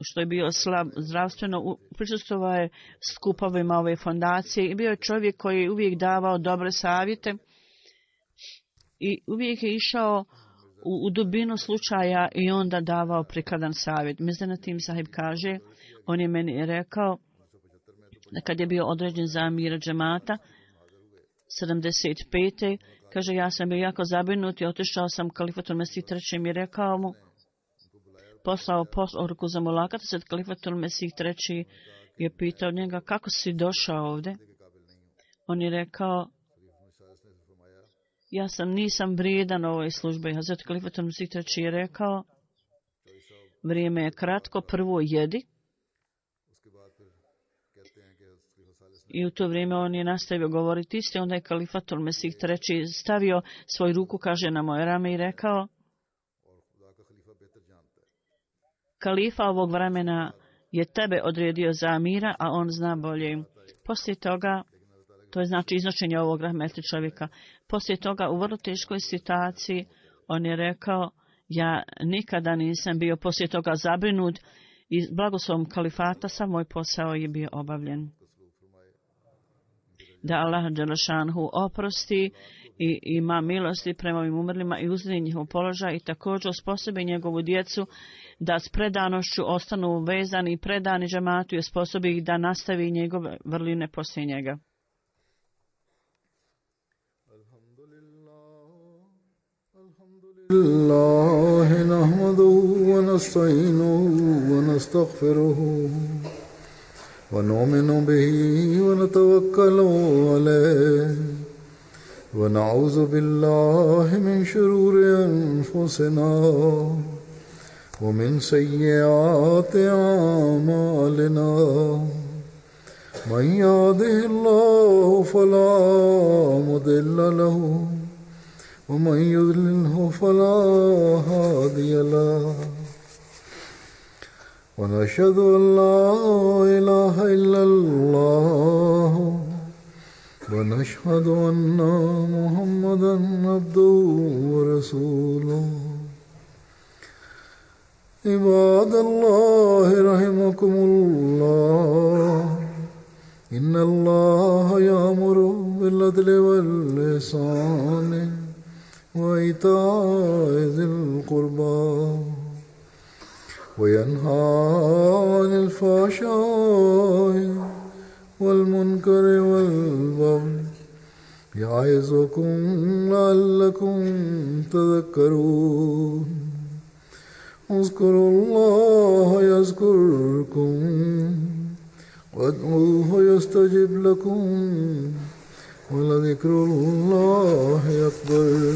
što je bio slab zdravstveno, prisustvovao je skupovima ove fondacije i bio je čovjek koji je uvijek davao dobre savjete i uvijek je išao u dubinu slučaja i onda davao prikladan savjet. Mizanatim sahib kaže, on je meni rekao da kad je bio određen za amira džemata 75. kaže, ja sam bio jako zabrinut i otišao sam Kalifatul Mesih III. I rekao mu, poslao poruku za mulakata, sad Kalifatul Mesih III. Je pitao njega, kako si došao ovdje? On je rekao, nisam vrijedan ovoj službi. Hazret Kalifatul Mesih III. Je rekao, vrijeme je kratko, prvo jedi. I u to vrijeme on je nastavio govoriti isto, onda je Kalifatul Mesih III. Stavio svoju ruku, kaže, na moje rame i rekao, kalifa ovog vremena je tebe odredio za amira, a on zna bolje. Poslije toga, to je znači iznošenje ovog rahmetli čovjeka, poslije toga u vrlo teškoj situaciji on je rekao, ja nikada nisam bio poslije toga zabrinut i blagoslovom kalifata sav moj posao je bio obavljen. Da Allah dželešanhu oprosti i ima milosti prema ovim umrlima i uzdi njihov položaj i također osposobi njegovu djecu da s predanošću ostanu vezani i predani džematu i osposobi ih da nastavi njegove vrline poslije njega. Alhamdulillah, nahmaduhu wa nasta'inuhu wa nastaghfiruhu ونؤمن به ونتوكل عليه ونعوذ بالله من شرور أنفسنا ومن سيئات أعمالنا من يهده الله فلا مضل له ومن يضلله فلا هادي له ونشهد أن لا إله إلا الله ونشهد أن محمدا عبده ورسوله عباد الله رحمكم الله إن الله يأمر بالعدل والإحسان وإيتاء ذي القربى وينهى عن الفحشاء والمنكر والبغي يعظكم لعلكم تذكرون اذكروا الله يذكركم وادعوه يستجب لكم ولذكر الله أكبر